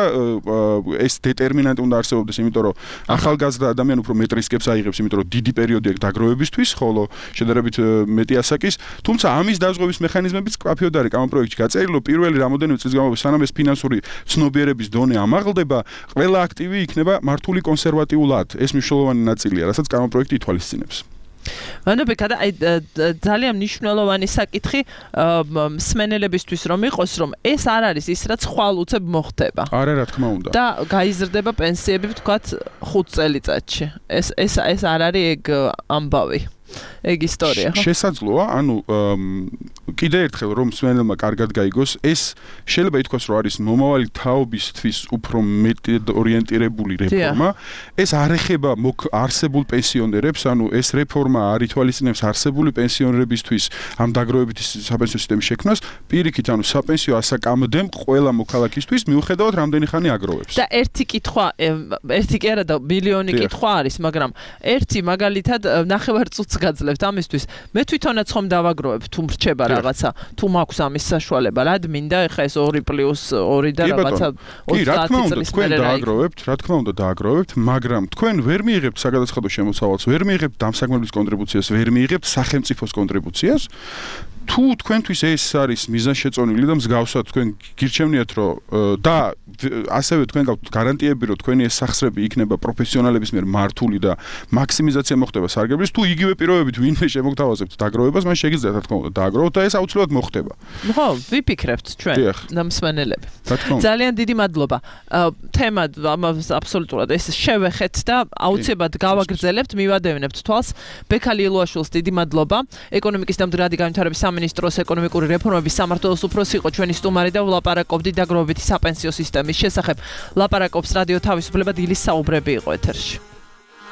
ეს დეტერმინანტი უნდა არსებობდეს, იმიტომ რომ ახალგაზრდა ადამიანი უფრო მეტ რისკებს აიღებს, იმიტომ რომ დიდი პერიოდი აქვს დაგროვებისთვის, ხოლო შედარებით მეტი ასაკის, თუმცა ამის ამის დაზღვევის მექანიზმებიც კაფეოდ არის ამ პროექტში გაწერილი, რომ პირველი რამოდენიმე წლის განმავლობაში სანამ ეს ფინანსური ცნობიერების დონე ამაღლდება, ყველა აქტივი იქნება მართული კონსერვატიულად. ეს მნიშვნელოვანი ნაწილია, რასაც ამ პროექტი ითვალისწინებს. ვანდობი კადა აი ძალიან მნიშვნელოვანი საკითხი მსმენელებისთვის რომ იყოს რომ ეს არ არის ის რაც ხვალ უცებ მოხდება. არა რა თქმა უნდა. და გაიზრდება პენსიები ვთქვათ ხუთ წელიწადში. ეს ეს ეს არ არის ეგ ამბავი. ეგ ისტორია ხო? შესაძლოა, ანუ კიდე ერთხელ რომ მსმენელმა კარგად გაიგოს, ეს შეიძლება ითქვას რომ არის მომავალი თაობისთვის უფრო მეტად ორიენტირებული რეფორმა. ეს არ ეხება არსებულ პენსიონერებს, ანუ ეს რეფორმა არ ითვალისწინებს არსებული პენსიონერებისთვის ამ დაგროვებითი საპენსიო სისტემის შექმნას, პირიქით, ანუ საპენსიო ასაკამდემ ყველა მოქალაქისთვის მიუხედავად რამდენი ხანი აგროვებს. და ერთი კითხვა, ერთი კი არა და მილიონი კითხვა არის, მაგრამ ერთი მაგალითად ნახევარ წუთს გაძლევთ ამისთვის. მე თვითონაც ხომ დავაგროვებ თუ მრჩება რაღაცა, თუ მაქვს ამის საშუალება, რად მინდა ეხა ეს ორი პლუს ორი და რაღაცა ოცდაათი წლის მერე დააგროვებთ, რა თქმა უნდა დააგროვებთ, მაგრამ თქვენ ვერ მიიღებთ საგადასახადო შემოსავალს, ვერ მიიღებთ დამსაგმებლის კონტრიბუციას, ვერ მიიღებთ სახელმწიფოს კონტრიბუციას. თუ თქვენთვის ეს არის მიზანშეწონილი და მსგავსად თქვენ გირჩევნიათ რომ და ასევე თქვენ გაქვთ გარანტიები რომ თქვენი ეს სახსრები იქნება პროფესიონალების მიერ მართული და მაქსიმიზაცია მოხდება სარგებლის, თუ იგივე პირობებით ვინმე შემოგთავაზებთ დაგროვებას, მან შეგიძლიათ რა თქმა უნდა დააგროვოთ და ეს აუცილებლად მოხდება. ხო, ვიფიქრებთ ჩვენ და მსმენელები. ძალიან დიდი მადლობა. თემა ამას აბსოლუტურად ეს შევეხეთ და აუცილებლად გავაგრძელებთ, მივადევნებთ თვალს. ბექალი ილუაშვილს დიდი მადლობა. ეკონომიკის და მდგრადი განვითარების სამინისტროს ეკონომიკური რეფორმების სამმართველოს უფროსი იყო ჩვენი სტუმარი და ვლაპარაკობდით დაგროვებითი საპენსიო სისტემის შესახებ. ლაპარაკობს რადიო თავისუფლება დილის საუბრები იყო ეთერში.